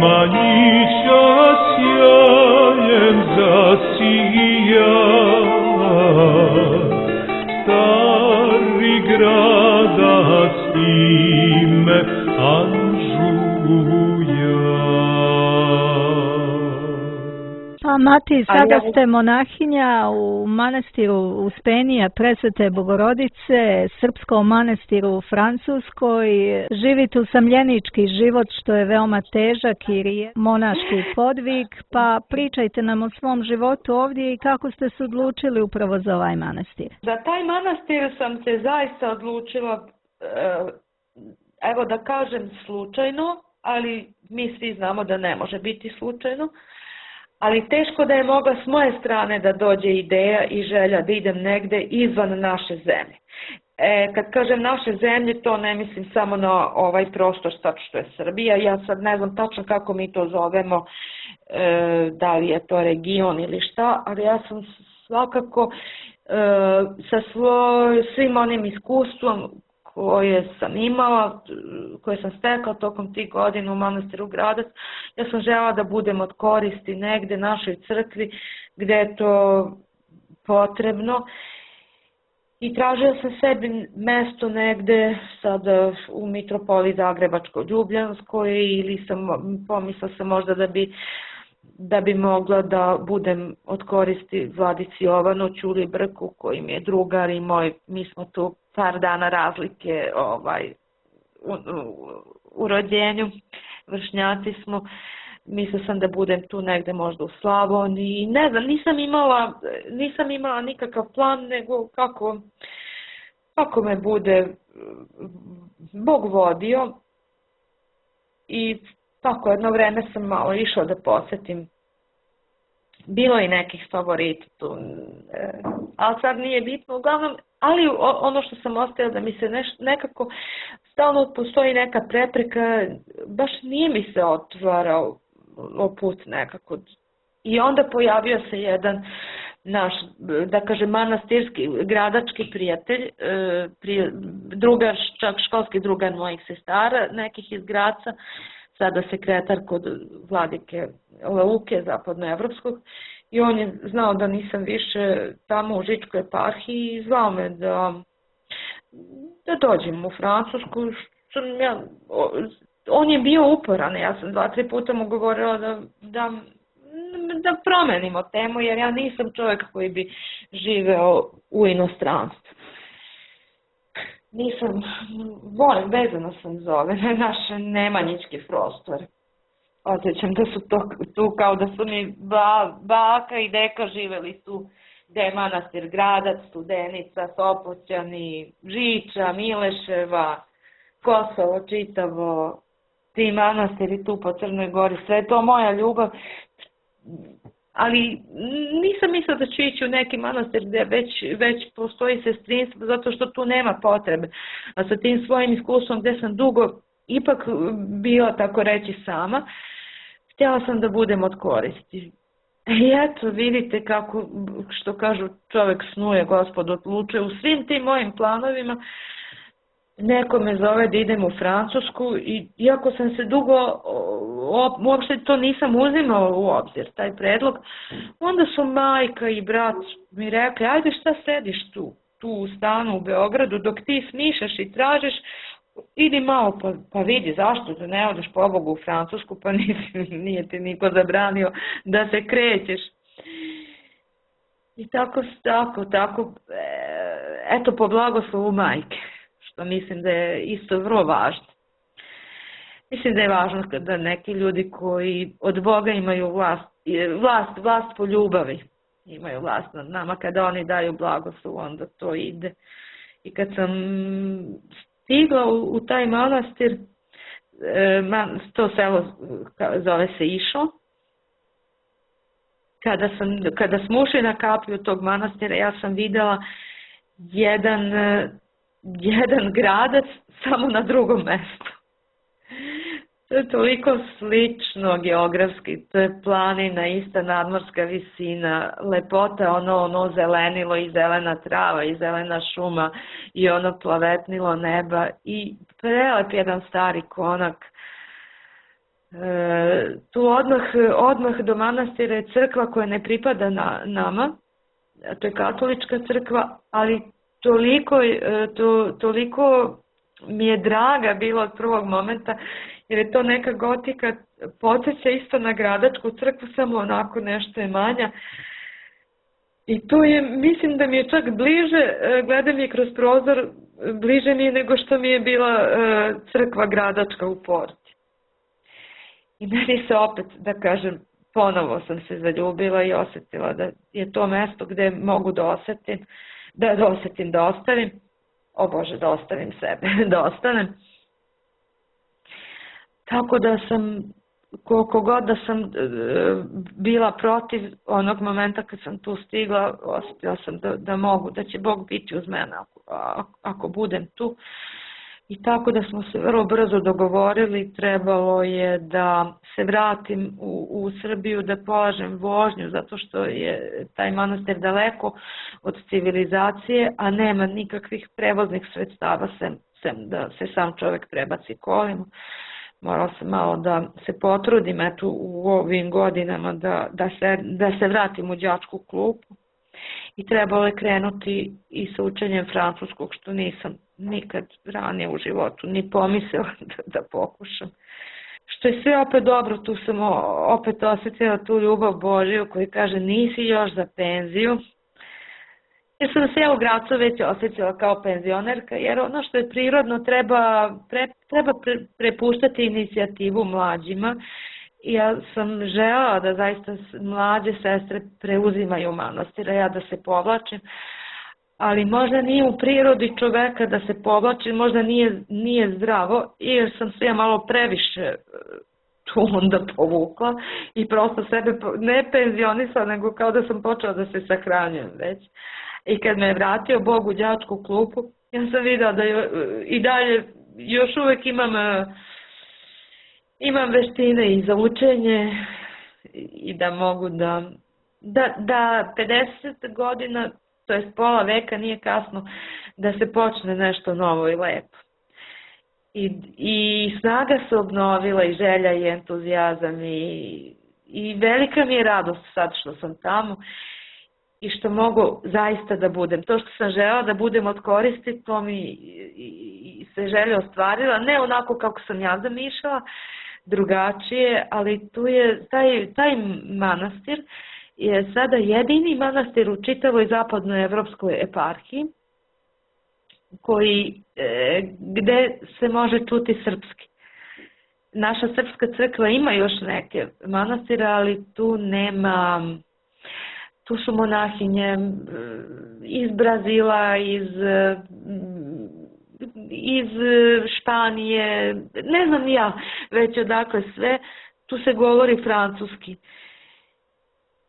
[SPEAKER 4] Nemanjića sjajem zasija, stari gradac ime Anžuja.
[SPEAKER 1] Pa Mati, sada ste monahinja u manastiru Uspenija Presvete Bogorodice, srpskom manastiru u Francuskoj. Živite usamljenički život što je veoma težak i je monaški podvig, pa pričajte nam o svom životu ovdje i kako ste se odlučili upravo za ovaj manastir.
[SPEAKER 3] Za taj manastir sam se zaista odlučila, evo da kažem slučajno, ali mi svi znamo da ne može biti slučajno. Ali teško da je mogla s moje strane da dođe ideja i želja da idem negde izvan naše zemlje. E, kad kažem naše zemlje, to ne mislim samo na ovaj prostor sad što je Srbija. Ja sad ne znam tačno kako mi to zovemo, e, da li je to region ili šta, ali ja sam svakako e, sa svoj, svim onim iskustvom koje sam imala, koje sam stekla tokom tih godina u manastiru Gradac, ja sam željela da budem od koristi negde našoj crkvi gde je to potrebno i tražila sam sebi mesto negde sada u mitropoliji Zagrebačko-Ljubljanskoj ili sam pomislila sam možda da bi da bi mogla da budem od koristi Vladici Jovanu Ćulibrku koji mi je drugar i moj, mi smo tu par dana razlike ovaj, u, u, u rođenju, vršnjaci smo, mislila sam da budem tu negde možda u Slavoniji, ne znam, nisam imala, nisam imala nikakav plan, nego kako, kako me bude Bog vodio i tako jedno vreme sam malo išla da posjetim. Bilo je nekih favorita tu, ali sad nije bitno, uglavnom, ali ono što sam ostavila da mi se neš, nekako stalno postoji neka prepreka, baš nije mi se otvarao put nekako. I onda pojavio se jedan naš, da kažem, manastirski, gradački prijatelj, prije, drugar, čak školski drugar mojih sestara, nekih iz Graca, sada sekretar kod vladike Leuke, zapadnoevropskog, i on je znao da nisam više tamo u Žičkoj eparhiji i zvao me da, da dođem u Francusku. Ja, on je bio uporan, ja sam dva, tri puta mu govorila da, da, da promenimo temu, jer ja nisam čovjek koji bi živeo u inostranstvu. Nisam, volim, vezano sam zove, naš nemanjički prostor. Osjećam da su to tu kao da su mi ba, baka i deka živeli tu, gde je manastir Gradac, Studenica, Sopoćani, Žiča, Mileševa, Kosovo čitavo, ti manastiri tu po Crnoj Gori, sve je to moja ljubav. Ali nisam mislila da ću ići u neki manastir gdje već, već postoji sestrinstvo, zato što tu nema potrebe. A sa tim svojim iskustvom gdje sam dugo ipak bila, tako reći, sama, htjela sam da budem od koristi. I eto, vidite kako, što kažu, čovjek snuje, Gospod odlučuje. U svim tim mojim planovima neko me zove da idem u Francusku i iako sam se dugo, uopšte to nisam uzimala u obzir, taj predlog, onda su majka i brat mi rekli, ajde šta sediš tu, tu u stanu u Beogradu, dok ti smišaš i tražiš, idi malo pa, pa vidi zašto da ne odeš pobogu u Francusku, pa nisi, nije ti niko zabranio da se krećeš. I tako, tako, tako, eto po blagoslovu majke, što mislim da je isto vrlo važno. Mislim da je važno da neki ljudi koji od Boga imaju vlast, vlast, vlast po ljubavi, imaju vlast nad nama, kada oni daju blagoslov, onda to ide. I kad sam stigla u, u taj manastir, to selo zove se Išo, kada, sam, kada smo ušli na kapiju tog manastira, ja sam videla jedan, jedan gradac samo na drugom mjestu. To je toliko slično geografski, to je planina, ista nadmorska visina, lepota, ono, ono zelenilo i zelena trava i zelena šuma i ono plavetnilo neba i prelep jedan stari konak. E, tu odmah, odmah do manastira je crkva koja ne pripada na, nama, to je katolička crkva, ali toliko, to, toliko mi je draga bilo od prvog momenta, jer je to neka gotika, podsjeća isto na gradačku crkvu, samo onako nešto je manja. I tu je, mislim da mi je čak bliže, gledam je kroz prozor, bliže mi je nego što mi je bila crkva gradačka u Porti. I meni se opet, da kažem, ponovo sam se zaljubila i osjetila da je to mesto gdje mogu da osjetim, da, da osjetim, da ostavim, o Bože, da ostavim sebe, da ostanem. Tako da sam, koliko god da sam e, bila protiv onog momenta kad sam tu stigla, osjetila sam da, da mogu, da će Bog biti uz mene ako, ako budem tu. I tako da smo se vrlo brzo dogovorili, trebalo je da se vratim u, u Srbiju, da polažem vožnju, zato što je taj manastir daleko od civilizacije, a nema nikakvih prevoznih sredstava, sem, sem da se sam čovjek prebaci kolima. Morala sam malo da se potrudim eto, u ovim godinama da, da, se, da se vratim u đačku klupu. I trebalo je krenuti i sa učenjem francuskog, što nisam nikad ranije u životu ni pomislila da, da pokušam. Što je sve opet dobro, tu sam opet osjetila tu ljubav Božiju koji kaže nisi još za penziju. Jer sam se ja u Gracu već osjećala kao penzionerka, jer ono što je prirodno treba, pre, treba pre, prepuštati inicijativu mlađima. I ja sam želela da zaista mlađe sestre preuzimaju manastira, ja da se povlačim, ali možda nije u prirodi čoveka da se povlači, možda nije, nije zdravo, jer sam se ja malo previše tu onda povukla i prosto sebe ne penzionisala, nego kao da sam počela da se sahranjujem već. I kad me je vratio Bog u đačku klupu, ja sam videla da je, i dalje još uvijek imam, imam veštine i za učenje i da mogu da, da, da pedeset godina, to jest pola veka nije kasno da se počne nešto novo i lepo. I, i snaga se obnovila i želja i entuzijazam i, i velika mi je radost sad što sam tamo i što mogu zaista da budem. To što sam želela da budem od koristi, to mi i, i se želja ostvarila, ne onako kako sam ja zamišljala, drugačije, ali tu je taj, taj manastir je sada jedini manastir u čitavoj zapadnoj evropskoj eparhiji koji, e, gde se može čuti srpski. Naša srpska crkva ima još neke manastire, ali tu nema, tu su monahinje iz Brazila, iz, iz Španije, ne znam ja već odakle sve, tu se govori francuski.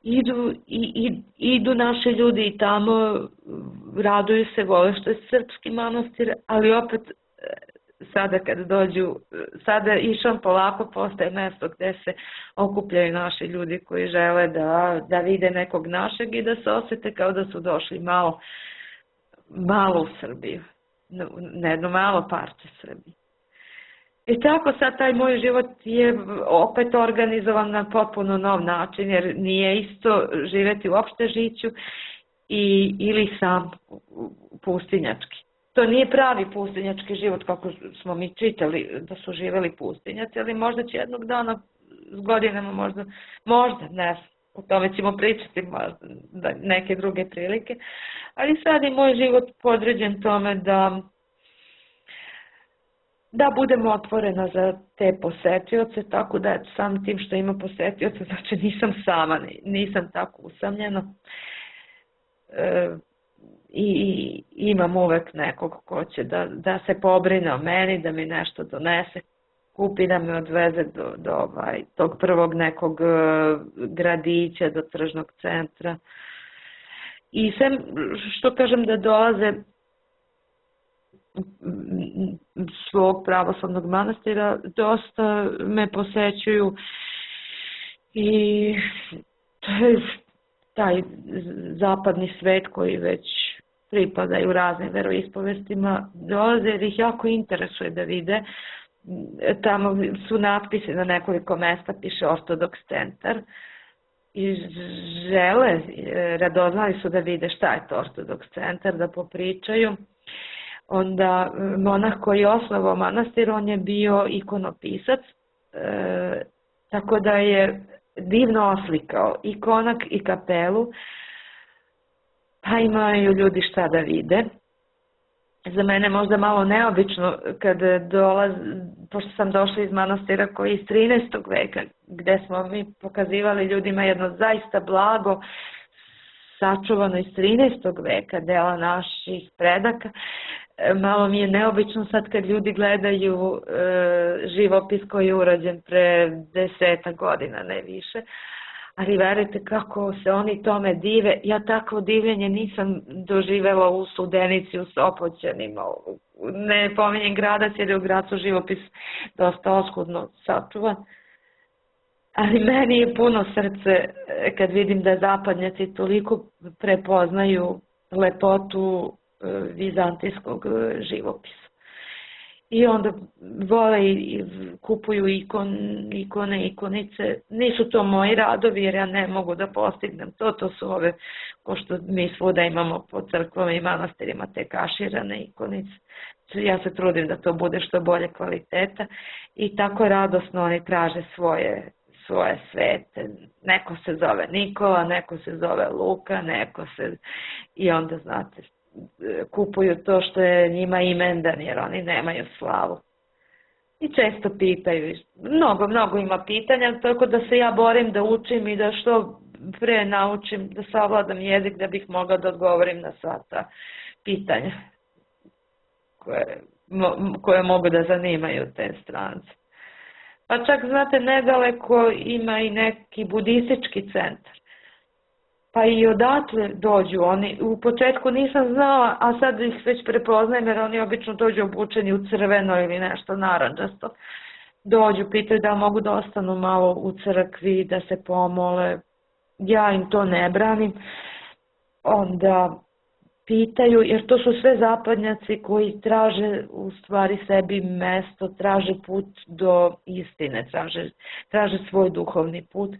[SPEAKER 3] Idu, i, i, idu naši ljudi i tamo, raduju se, vole što je srpski manastir, ali opet sada kad dođu, sada išam polako, postaje mesto gde se okupljaju naši ljudi koji žele da, da vide nekog našeg i da se osjete kao da su došli malo, malo u Srbiju, na jedno malo parče Srbije. I tako sad taj moj život je opet organizovan na potpuno nov način, jer nije isto živjeti u opštežiću i, ili sam pustinjački. To nije pravi pustinjački život kako smo mi čitali da su živjeli pustinjaci, ali možda će jednog dana s godinama možda, možda, ne znam, o tome ćemo pričati možda neke druge prilike, ali sad je moj život podređen tome da da budemo otvorena za te posetioce, tako da sam tim što ima posetioce, znači nisam sama, nisam tako usamljena. E, i imam uvek nekog ko će da, da se pobrine o meni, da mi nešto donese, kupi, da me odveze do, do ovaj, tog prvog nekog gradića, do tržnog centra. I sem što kažem da dolaze svog pravoslavnog manastira, dosta me posećuju i taj zapadni svet koji već pripadaju raznim veroispovestima, dolaze jer ih jako interesuje da vide. Tamo su natpisi na nekoliko mesta, piše Ortodoks centar i žele, radoznali su da vide šta je to Ortodoks centar, da popričaju. Onda monah koji je osnovao manastir, on je bio ikonopisac, e, tako da je divno oslikao i konak i kapelu, pa imaju ljudi šta da vide. Za mene možda malo neobično kad dolaz, pošto sam došla iz manastira koji je iz trinaestog veka, gde smo mi pokazivali ljudima jedno zaista blago, sačuvano iz trinaestog veka, dela naših predaka. Malo mi je neobično sad kad ljudi gledaju e, živopis koji je urađen pre deseta godina, ne više. Ali verujte kako se oni tome dive. Ja takvo divljenje nisam doživela u Studenici, u Sopoćanima. Ne pominjem Gradac jer je u Gracu živopis dosta oskudno sačuvan. Ali meni je puno srce kad vidim da zapadnjaci toliko prepoznaju lepotu vizantijskog živopisa. I onda vole i kupuju ikon, ikone, ikonice. Nisu to moji radovi jer ja ne mogu da postignem to. To su ove, ko što mi svuda imamo po crkvama i manastirima, te kaširane ikonice. Ja se trudim da to bude što bolje kvaliteta i tako radosno oni traže svoje, svoje svete. Neko se zove Nikola, neko se zove Luka, neko se... I onda, znate, kupuju to što je njima imendan jer oni nemaju slavu. I često pitaju, mnogo, mnogo ima pitanja, tako da se ja borim da učim i da što pre naučim, da savladam jezik da bih mogla da odgovorim na sva ta pitanja koje, koje mogu da zanimaju te strance. Pa čak, znate, nedaleko ima i neki budistički centar. pa i odatle dođu oni. U početku nisam znala, a sad ih već prepoznajem jer oni obično dođu obučeni u crveno ili nešto narandžasto. Dođu, pitaju da mogu da ostanu malo u crkvi, da se pomole. Ja im to ne branim. Onda pitaju, jer to su sve zapadnjaci koji traže u stvari sebi mesto, traže put do istine, traže, traže svoj duhovni put.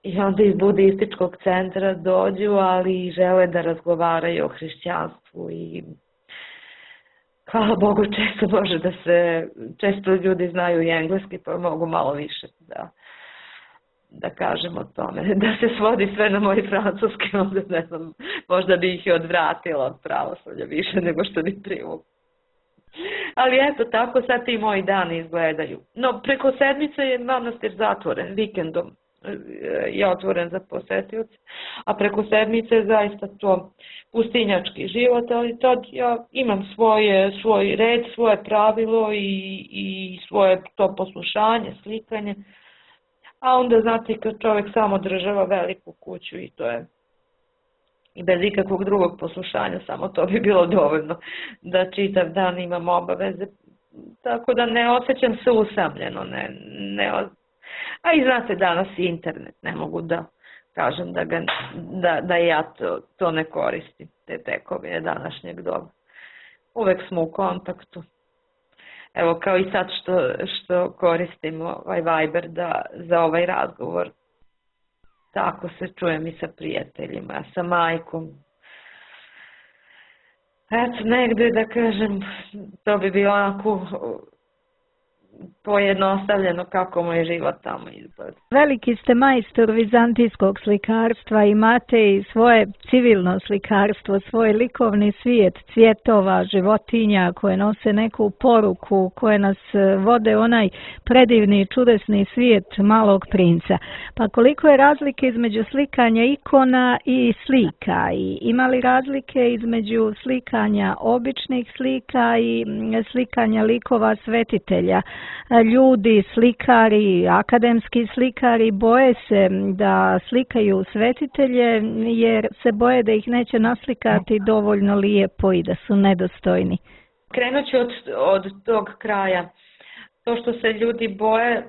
[SPEAKER 3] I onda iz budističkog centra dođu, ali žele da razgovaraju o hrišćanstvu i hvala Bogu često može da se, često ljudi znaju i engleski pa mogu malo više da, da kažem o tome. Da se svodi sve na moj francuski, onda ne znam, možda bi ih i odvratila od pravoslavlja više nego što bi privukla. Ali eto, tako sad ti moji dani izgledaju. No, preko sedmice je manastir zatvoren, vikendom je otvoren za posetioce, a preko sedmice je zaista to pustinjački život, ali tad ja imam svoje, svoj red, svoje pravilo i, i svoje to poslušanje, slikanje, a onda znate kad čovjek samo održava veliku kuću i to je i bez ikakvog drugog poslušanja, samo to bi bilo dovoljno da čitav dan imam obaveze, tako da ne osjećam se usamljeno, ne, ne a i znate danas i internet, ne mogu da kažem da, ga, da, da ja to, to ne koristim, te tekovine današnjeg doba. Uvek smo u kontaktu. Evo kao i sad što, što koristim ovaj Viber da, za ovaj razgovor. Tako se čujem i sa prijateljima, sa majkom. Eto, negdje da kažem, to bi bilo onako pojednostavljeno kako mu je život tamo izgleda.
[SPEAKER 1] Veliki ste majstor vizantijskog slikarstva, imate i svoje civilno slikarstvo, svoj likovni svijet cvjetova, životinja koje nose neku poruku, koje nas vode onaj predivni, čudesni svijet malog princa. Pa koliko je razlike između slikanja ikona i slika? I ima li razlike između slikanja običnih slika i slikanja likova svetitelja? Ljudi, slikari, akademski slikari boje se da slikaju svetitelje jer se boje da ih neće naslikati dovoljno lijepo i da su nedostojni.
[SPEAKER 3] Krenut ću od, od tog kraja. To što se ljudi boje,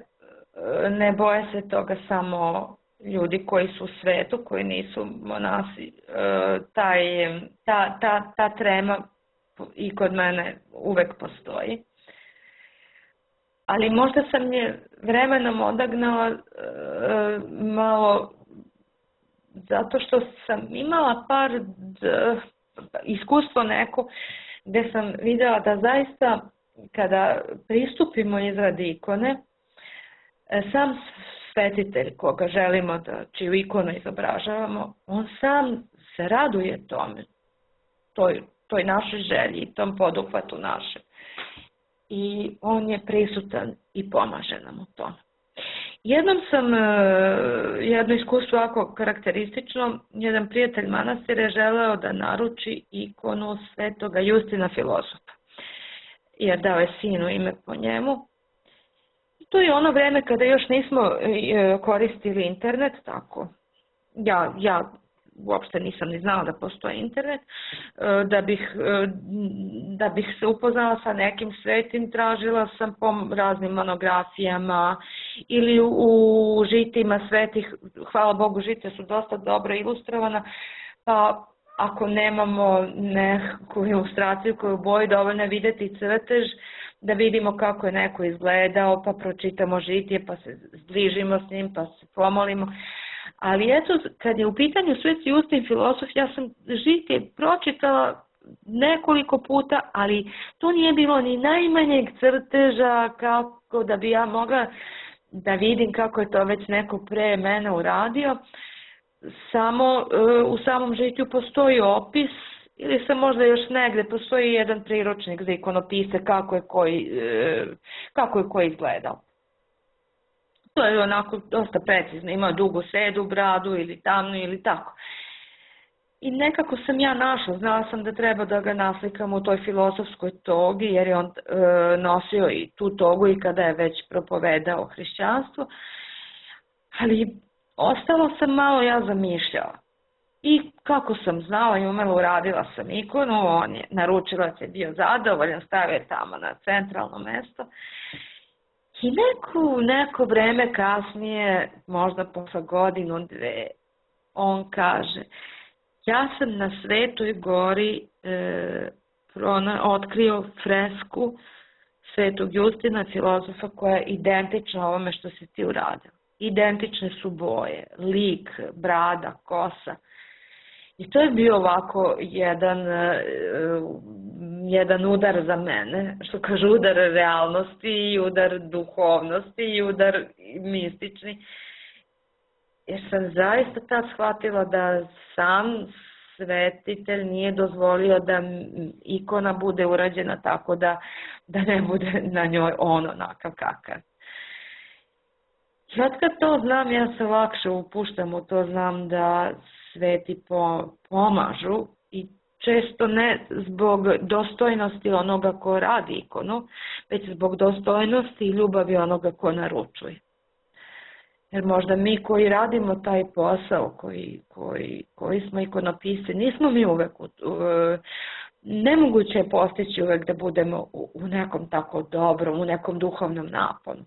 [SPEAKER 3] ne boje se toga samo ljudi koji su u svetu, koji nisu monasi. Taj, ta, ta, ta trema i kod mene uvek postoji. Ali možda sam je vremenom odagnala e, malo zato što sam imala par d, iskustvo neko gdje sam vidjela da zaista kada pristupimo izradi ikone, sam svetitelj koga želimo da čiju ikonu izobražavamo, on sam se raduje tome, toj, toj našoj želji i tom poduhvatu naše. I on je prisutan i pomaže nam u tome. Jednom sam, jedno iskustvo ovako karakteristično, jedan prijatelj manastira je želeo da naruči ikonu svetoga Justina Filozofa, jer dao je sinu ime po njemu. I to je ono vreme kada još nismo koristili internet, tako. Ja, ja uopšte nisam ni znala da postoji internet, da bih, da bih se upoznala sa nekim svetim, tražila sam po raznim monografijama ili u žitima svetih, hvala Bogu žite su dosta dobro ilustrovana, pa ako nemamo neku ilustraciju koju u boji, dovoljno je vidjeti crtež, da vidimo kako je neko izgledao, pa pročitamo žitije, pa se zbližimo s njim, pa se pomolimo. Ali eto, kad je u pitanju sveti Justin Filozof, ja sam žitije pročitala nekoliko puta, ali to nije bilo ni najmanjeg crteža kako da bi ja mogla da vidim kako je to već neko pre mene uradio. Samo u samom žitiju postoji opis, ili sam možda još negde, postoji jedan priručnik za ikonopise kako je koji, kako je koji izgledao. To je onako dosta precizno, ima dugu sedu, bradu ili tamnu ili tako. I nekako sam ja našla, znala sam da treba da ga naslikam u toj filozofskoj togi, jer je on e, nosio i tu togu i kada je već propovedao hrišćanstvo. Ali ostalo sam malo ja zamišljala. I kako sam znala i umela, uradila sam ikonu, on je, naručilac je bio zadovoljan, stavio je tamo na centralno mesto. I neko, neko vreme kasnije, možda posle godinu, dve, on kaže, ja sam na Svetoj gori e, prona, otkrio fresku Svetog Justina, filozofa, koja je identična ovome što si ti uradila. Identične su boje, lik, brada, kosa. I to je bio ovako jedan, jedan udar za mene, što kaže udar realnosti i udar duhovnosti i udar mistični. Jer sam zaista tad shvatila da sam svetitelj nije dozvolio da ikona bude urađena tako da, da ne bude na njoj on onakav kakav. I od kad to znam, ja se lakše upuštam u to, znam da sveti pomažu i često ne zbog dostojnosti onoga ko radi ikonu, već zbog dostojnosti i ljubavi onoga ko naručuje. Jer možda mi koji radimo taj posao, koji, koji, koji smo ikonopisci, nismo mi uvek, nemoguće je postići uvek da budemo u nekom tako dobrom, u nekom duhovnom naponu.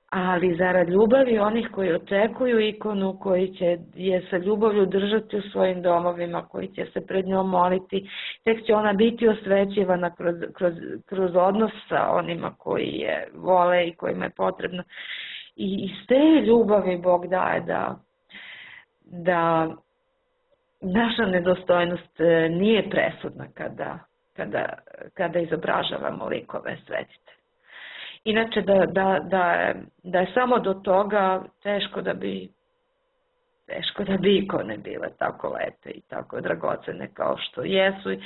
[SPEAKER 3] Ali zarad ljubavi onih koji očekuju ikonu, koji će je sa ljubavlju držati u svojim domovima, koji će se pred njom moliti, tek će ona biti osvećivana kroz, kroz, kroz odnos sa onima koji je vole i kojima je potrebno. I iz te ljubavi Bog daje da, da naša nedostojnost nije presudna kada, kada, kada izobražavamo likove svetitelja. Inače da, da, da, da je samo do toga teško da bi teško da bi ikone bile tako lepe i tako dragocene kao što jesu i,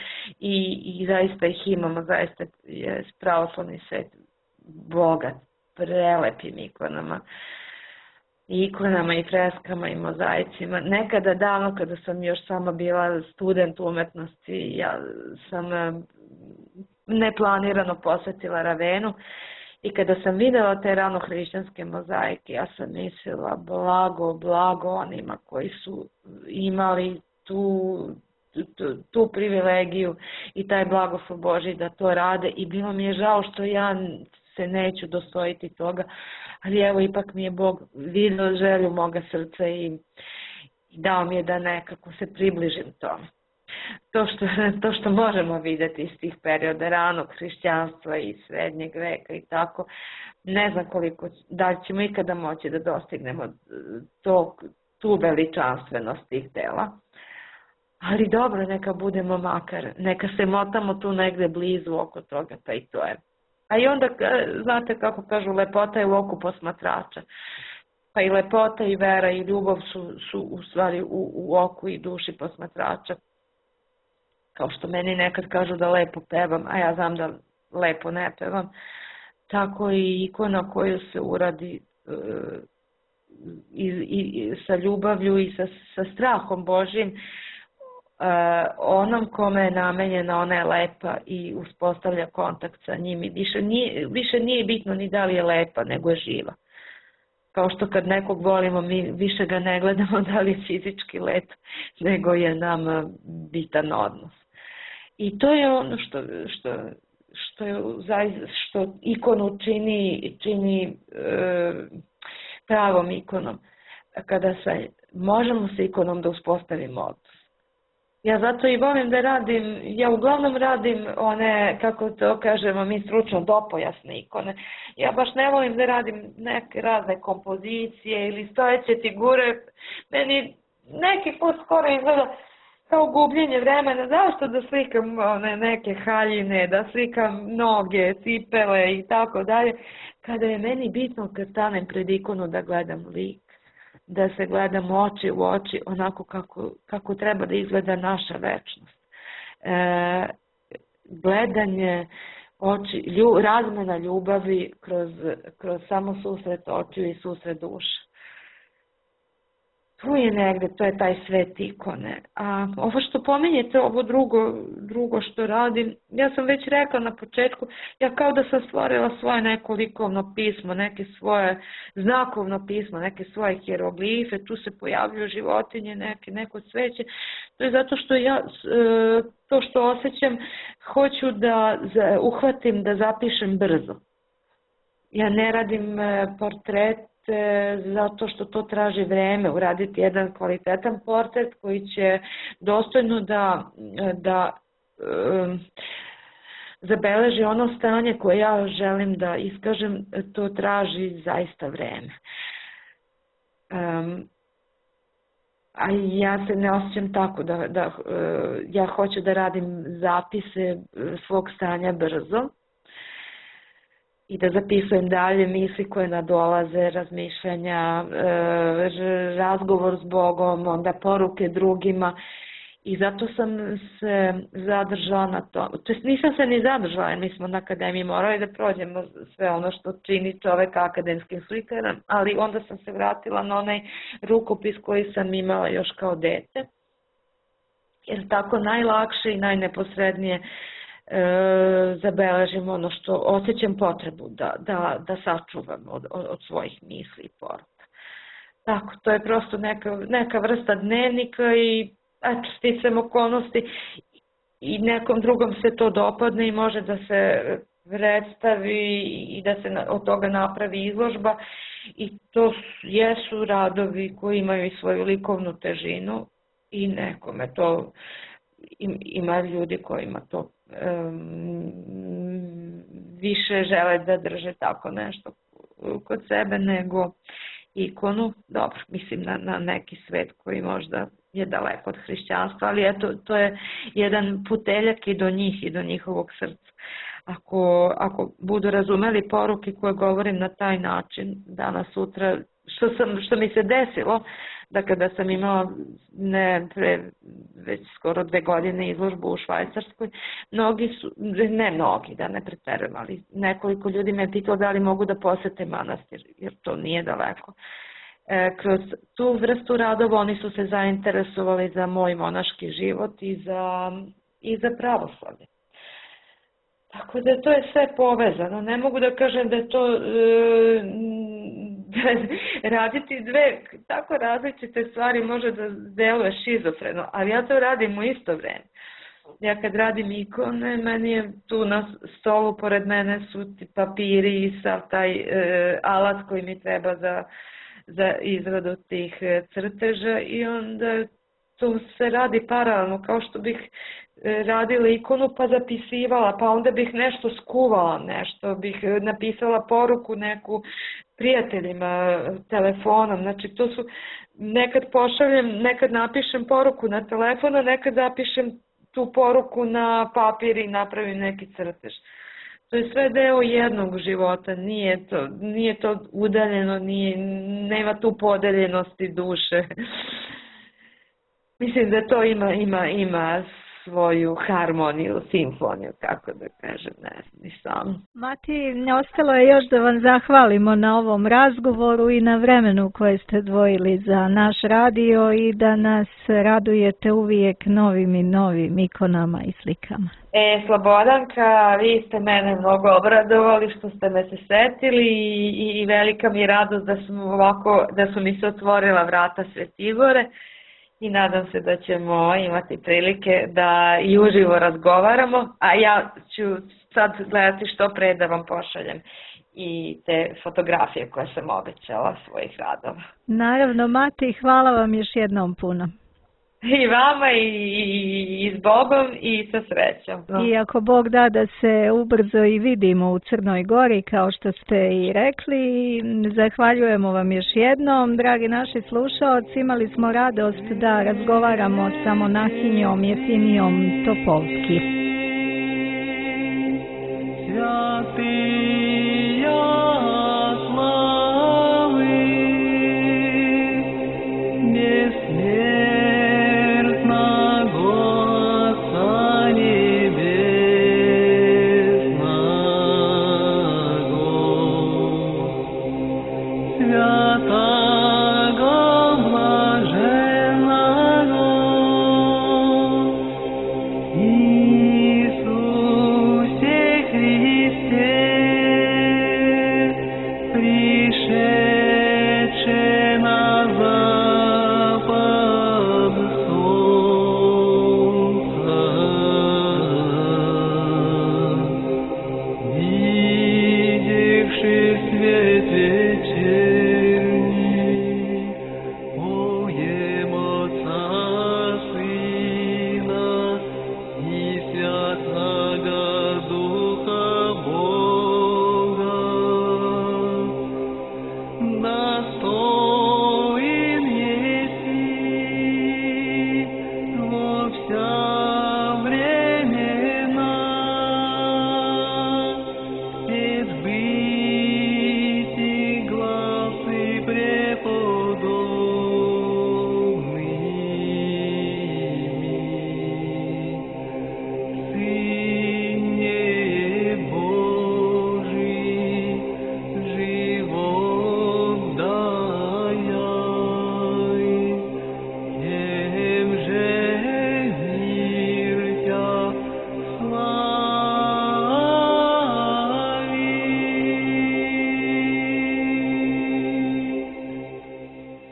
[SPEAKER 3] i zaista ih imamo, zaista je pravoslavni svet bogat prelepim ikonama, ikonama i freskama i mozaicima. Nekada davno kada sam još sama bila student umetnosti, ja sam neplanirano posetila Ravenu. I kada sam videla te ranohrišćanske mozaike, ja sam mislila blago, blago onima koji su imali tu, tu, tu privilegiju i taj blagoslov Božji da to rade. I bilo mi je žao što ja se neću dostojiti toga, ali evo ipak mi je Bog vidio želju moga srca i dao mi je da nekako se približim tome. To što, to što možemo vidjeti iz tih perioda ranog hrišćanstva i srednjeg veka i tako, ne znam koliko, da li ćemo ikada moći da dostignemo to, tu veličanstvenost tih dela. Ali dobro, neka budemo makar, neka se motamo tu negde blizu oko toga, pa i to je. A i onda, znate kako kažu, lepota je u oku posmatrača. Pa i lepota i vera i ljubav su, su u stvari u, u oku i duši posmatrača. Kao što meni nekad kažu da lepo pevam, a ja znam da lepo ne pevam, tako i ikona koju se uradi e, i, i, sa ljubavlju i sa, sa strahom Božjim, e, onom kome je namenjena, ona je lepa i uspostavlja kontakt sa njim. I više nije, više nije bitno ni da li je lepa, nego je živa. Kao što kad nekog volimo, mi više ga ne gledamo da li je fizički lep, nego je nam bitan odnos. I to je ono što, što, što, je, što ikonu čini, čini e, pravom ikonom. Kada se, možemo sa ikonom da uspostavimo odnos. Ja zato i volim da radim, ja uglavnom radim one, kako to kažemo, mi stručno dopojasne ikone. Ja baš ne volim da radim neke razne kompozicije ili stojeće figure. Meni neki put skoro izgleda kao gubljenje vremena. Zašto da slikam one neke haljine, da slikam noge, cipele i tako dalje, kada je meni bitno kad stanem pred ikonu da gledam lik, da se gledamo oči u oči onako kako, kako treba da izgleda naša večnost. E, gledanje oči, lju, razmena ljubavi kroz, kroz samo susret očiju i susret duša. tu je negde, to je taj svet ikone. A ovo što pominjete, ovo drugo, drugo što radim, ja sam već rekla na početku, ja kao da sam stvorila svoje neko likovno pismo, neke svoje znakovno pismo, neke svoje hieroglife, tu se pojavljuju životinje, neke, neko cveće. To je zato što ja, to što osjećam, hoću da uhvatim, da zapišem brzo. Ja ne radim portret zato što to traži vreme, uraditi jedan kvalitetan portret koji će dostojno da, da um, zabeleži ono stanje koje ja želim da iskažem, to traži zaista vreme. Um, a ja se ne osjećam tako da, da uh, ja hoću da radim zapise svog stanja brzo i da zapisujem dalje misli koje nadolaze, razmišljanja, razgovor s Bogom, onda poruke drugima i zato sam se zadržala na to. To jest nisam se ni zadržala, jer mi smo na akademiji morali da prođemo sve ono što čini čovek akademskim slikarom, ali onda sam se vratila na onaj rukopis koji sam imala još kao dete, jer tako najlakše i najneposrednije E, zabeležim ono što osjećam potrebu da, da, da sačuvam od, od svojih misli i poruka. Tako, to je prosto neka, neka vrsta dnevnika i eto, sticam okolnosti i nekom drugom se to dopadne i može da se predstavi i da se od toga napravi izložba i to jesu radovi koji imaju i svoju likovnu težinu i nekome to ima ljudi kojima to Um, više žele da drže tako nešto kod sebe nego ikonu, dobro, mislim na, na neki svet koji možda je daleko od hrišćanstva, ali eto, to je jedan puteljak i do njih i do njihovog srca. Ako, ako budu razumeli poruke koje govorim na taj način, danas, sutra, što, sam, što mi se desilo, da kada sam imala ne, pre, već skoro dve godine izložbu u Švajcarskoj, mnogi su, ne mnogi, da ne preterujem, ali nekoliko ljudi me pitalo da li mogu da posete manastir, jer to nije daleko. E, kroz tu vrstu radova oni su se zainteresovali za moj monaški život i za, i za pravoslavlje. Tako da to je sve povezano. Ne mogu da kažem da je to e, da raditi dve tako različite stvari može da deluje šizofreno, ali ja to radim u isto vreme. Ja kad radim ikone, meni je tu na stolu pored mene su ti papiri i sav taj e, alat koji mi treba za, za izradu tih crteža i onda to se radi paralelno, kao što bih radila ikonu pa zapisivala, pa onda bih nešto skuvala, nešto bih napisala poruku neku prijateljima telefonom, znači to su, nekad pošaljem, nekad napišem poruku na telefon, a nekad zapišem tu poruku na papir i napravim neki crtež. To je sve deo jednog života, nije to, nije to udaljeno, nije, nema tu podeljenosti duše. Mislim da to ima, ima, ima svoju harmoniju, simfoniju, kako da kažem, ne znam, ni sam.
[SPEAKER 1] Mati, ostalo je još da vam zahvalimo na ovom razgovoru i na vremenu koje ste dvojili za naš radio i da nas radujete uvijek novim i novim ikonama i slikama.
[SPEAKER 3] E, Slobodanka, vi ste mene mnogo obradovali što ste me se setili i, i velika mi je radost da, smo ovako, da su mi se otvorila vrata Svetigore. I nadam se da ćemo imati prilike da i uživo razgovaramo, a ja ću sad gledati što pre da vam pošaljem i te fotografije koje sam obećala svojih radova.
[SPEAKER 1] Naravno, Mati, hvala vam još jednom puno.
[SPEAKER 3] I vama i, i, i s Bogom i sa srećom.
[SPEAKER 1] I ako Bog da da se ubrzo i vidimo u Crnoj Gori, kao što ste i rekli, zahvaljujemo vam još jednom. Dragi naši slušaoci, imali smo radost da razgovaramo sa monahinjom Jefimijom Topolski.
[SPEAKER 4] Svati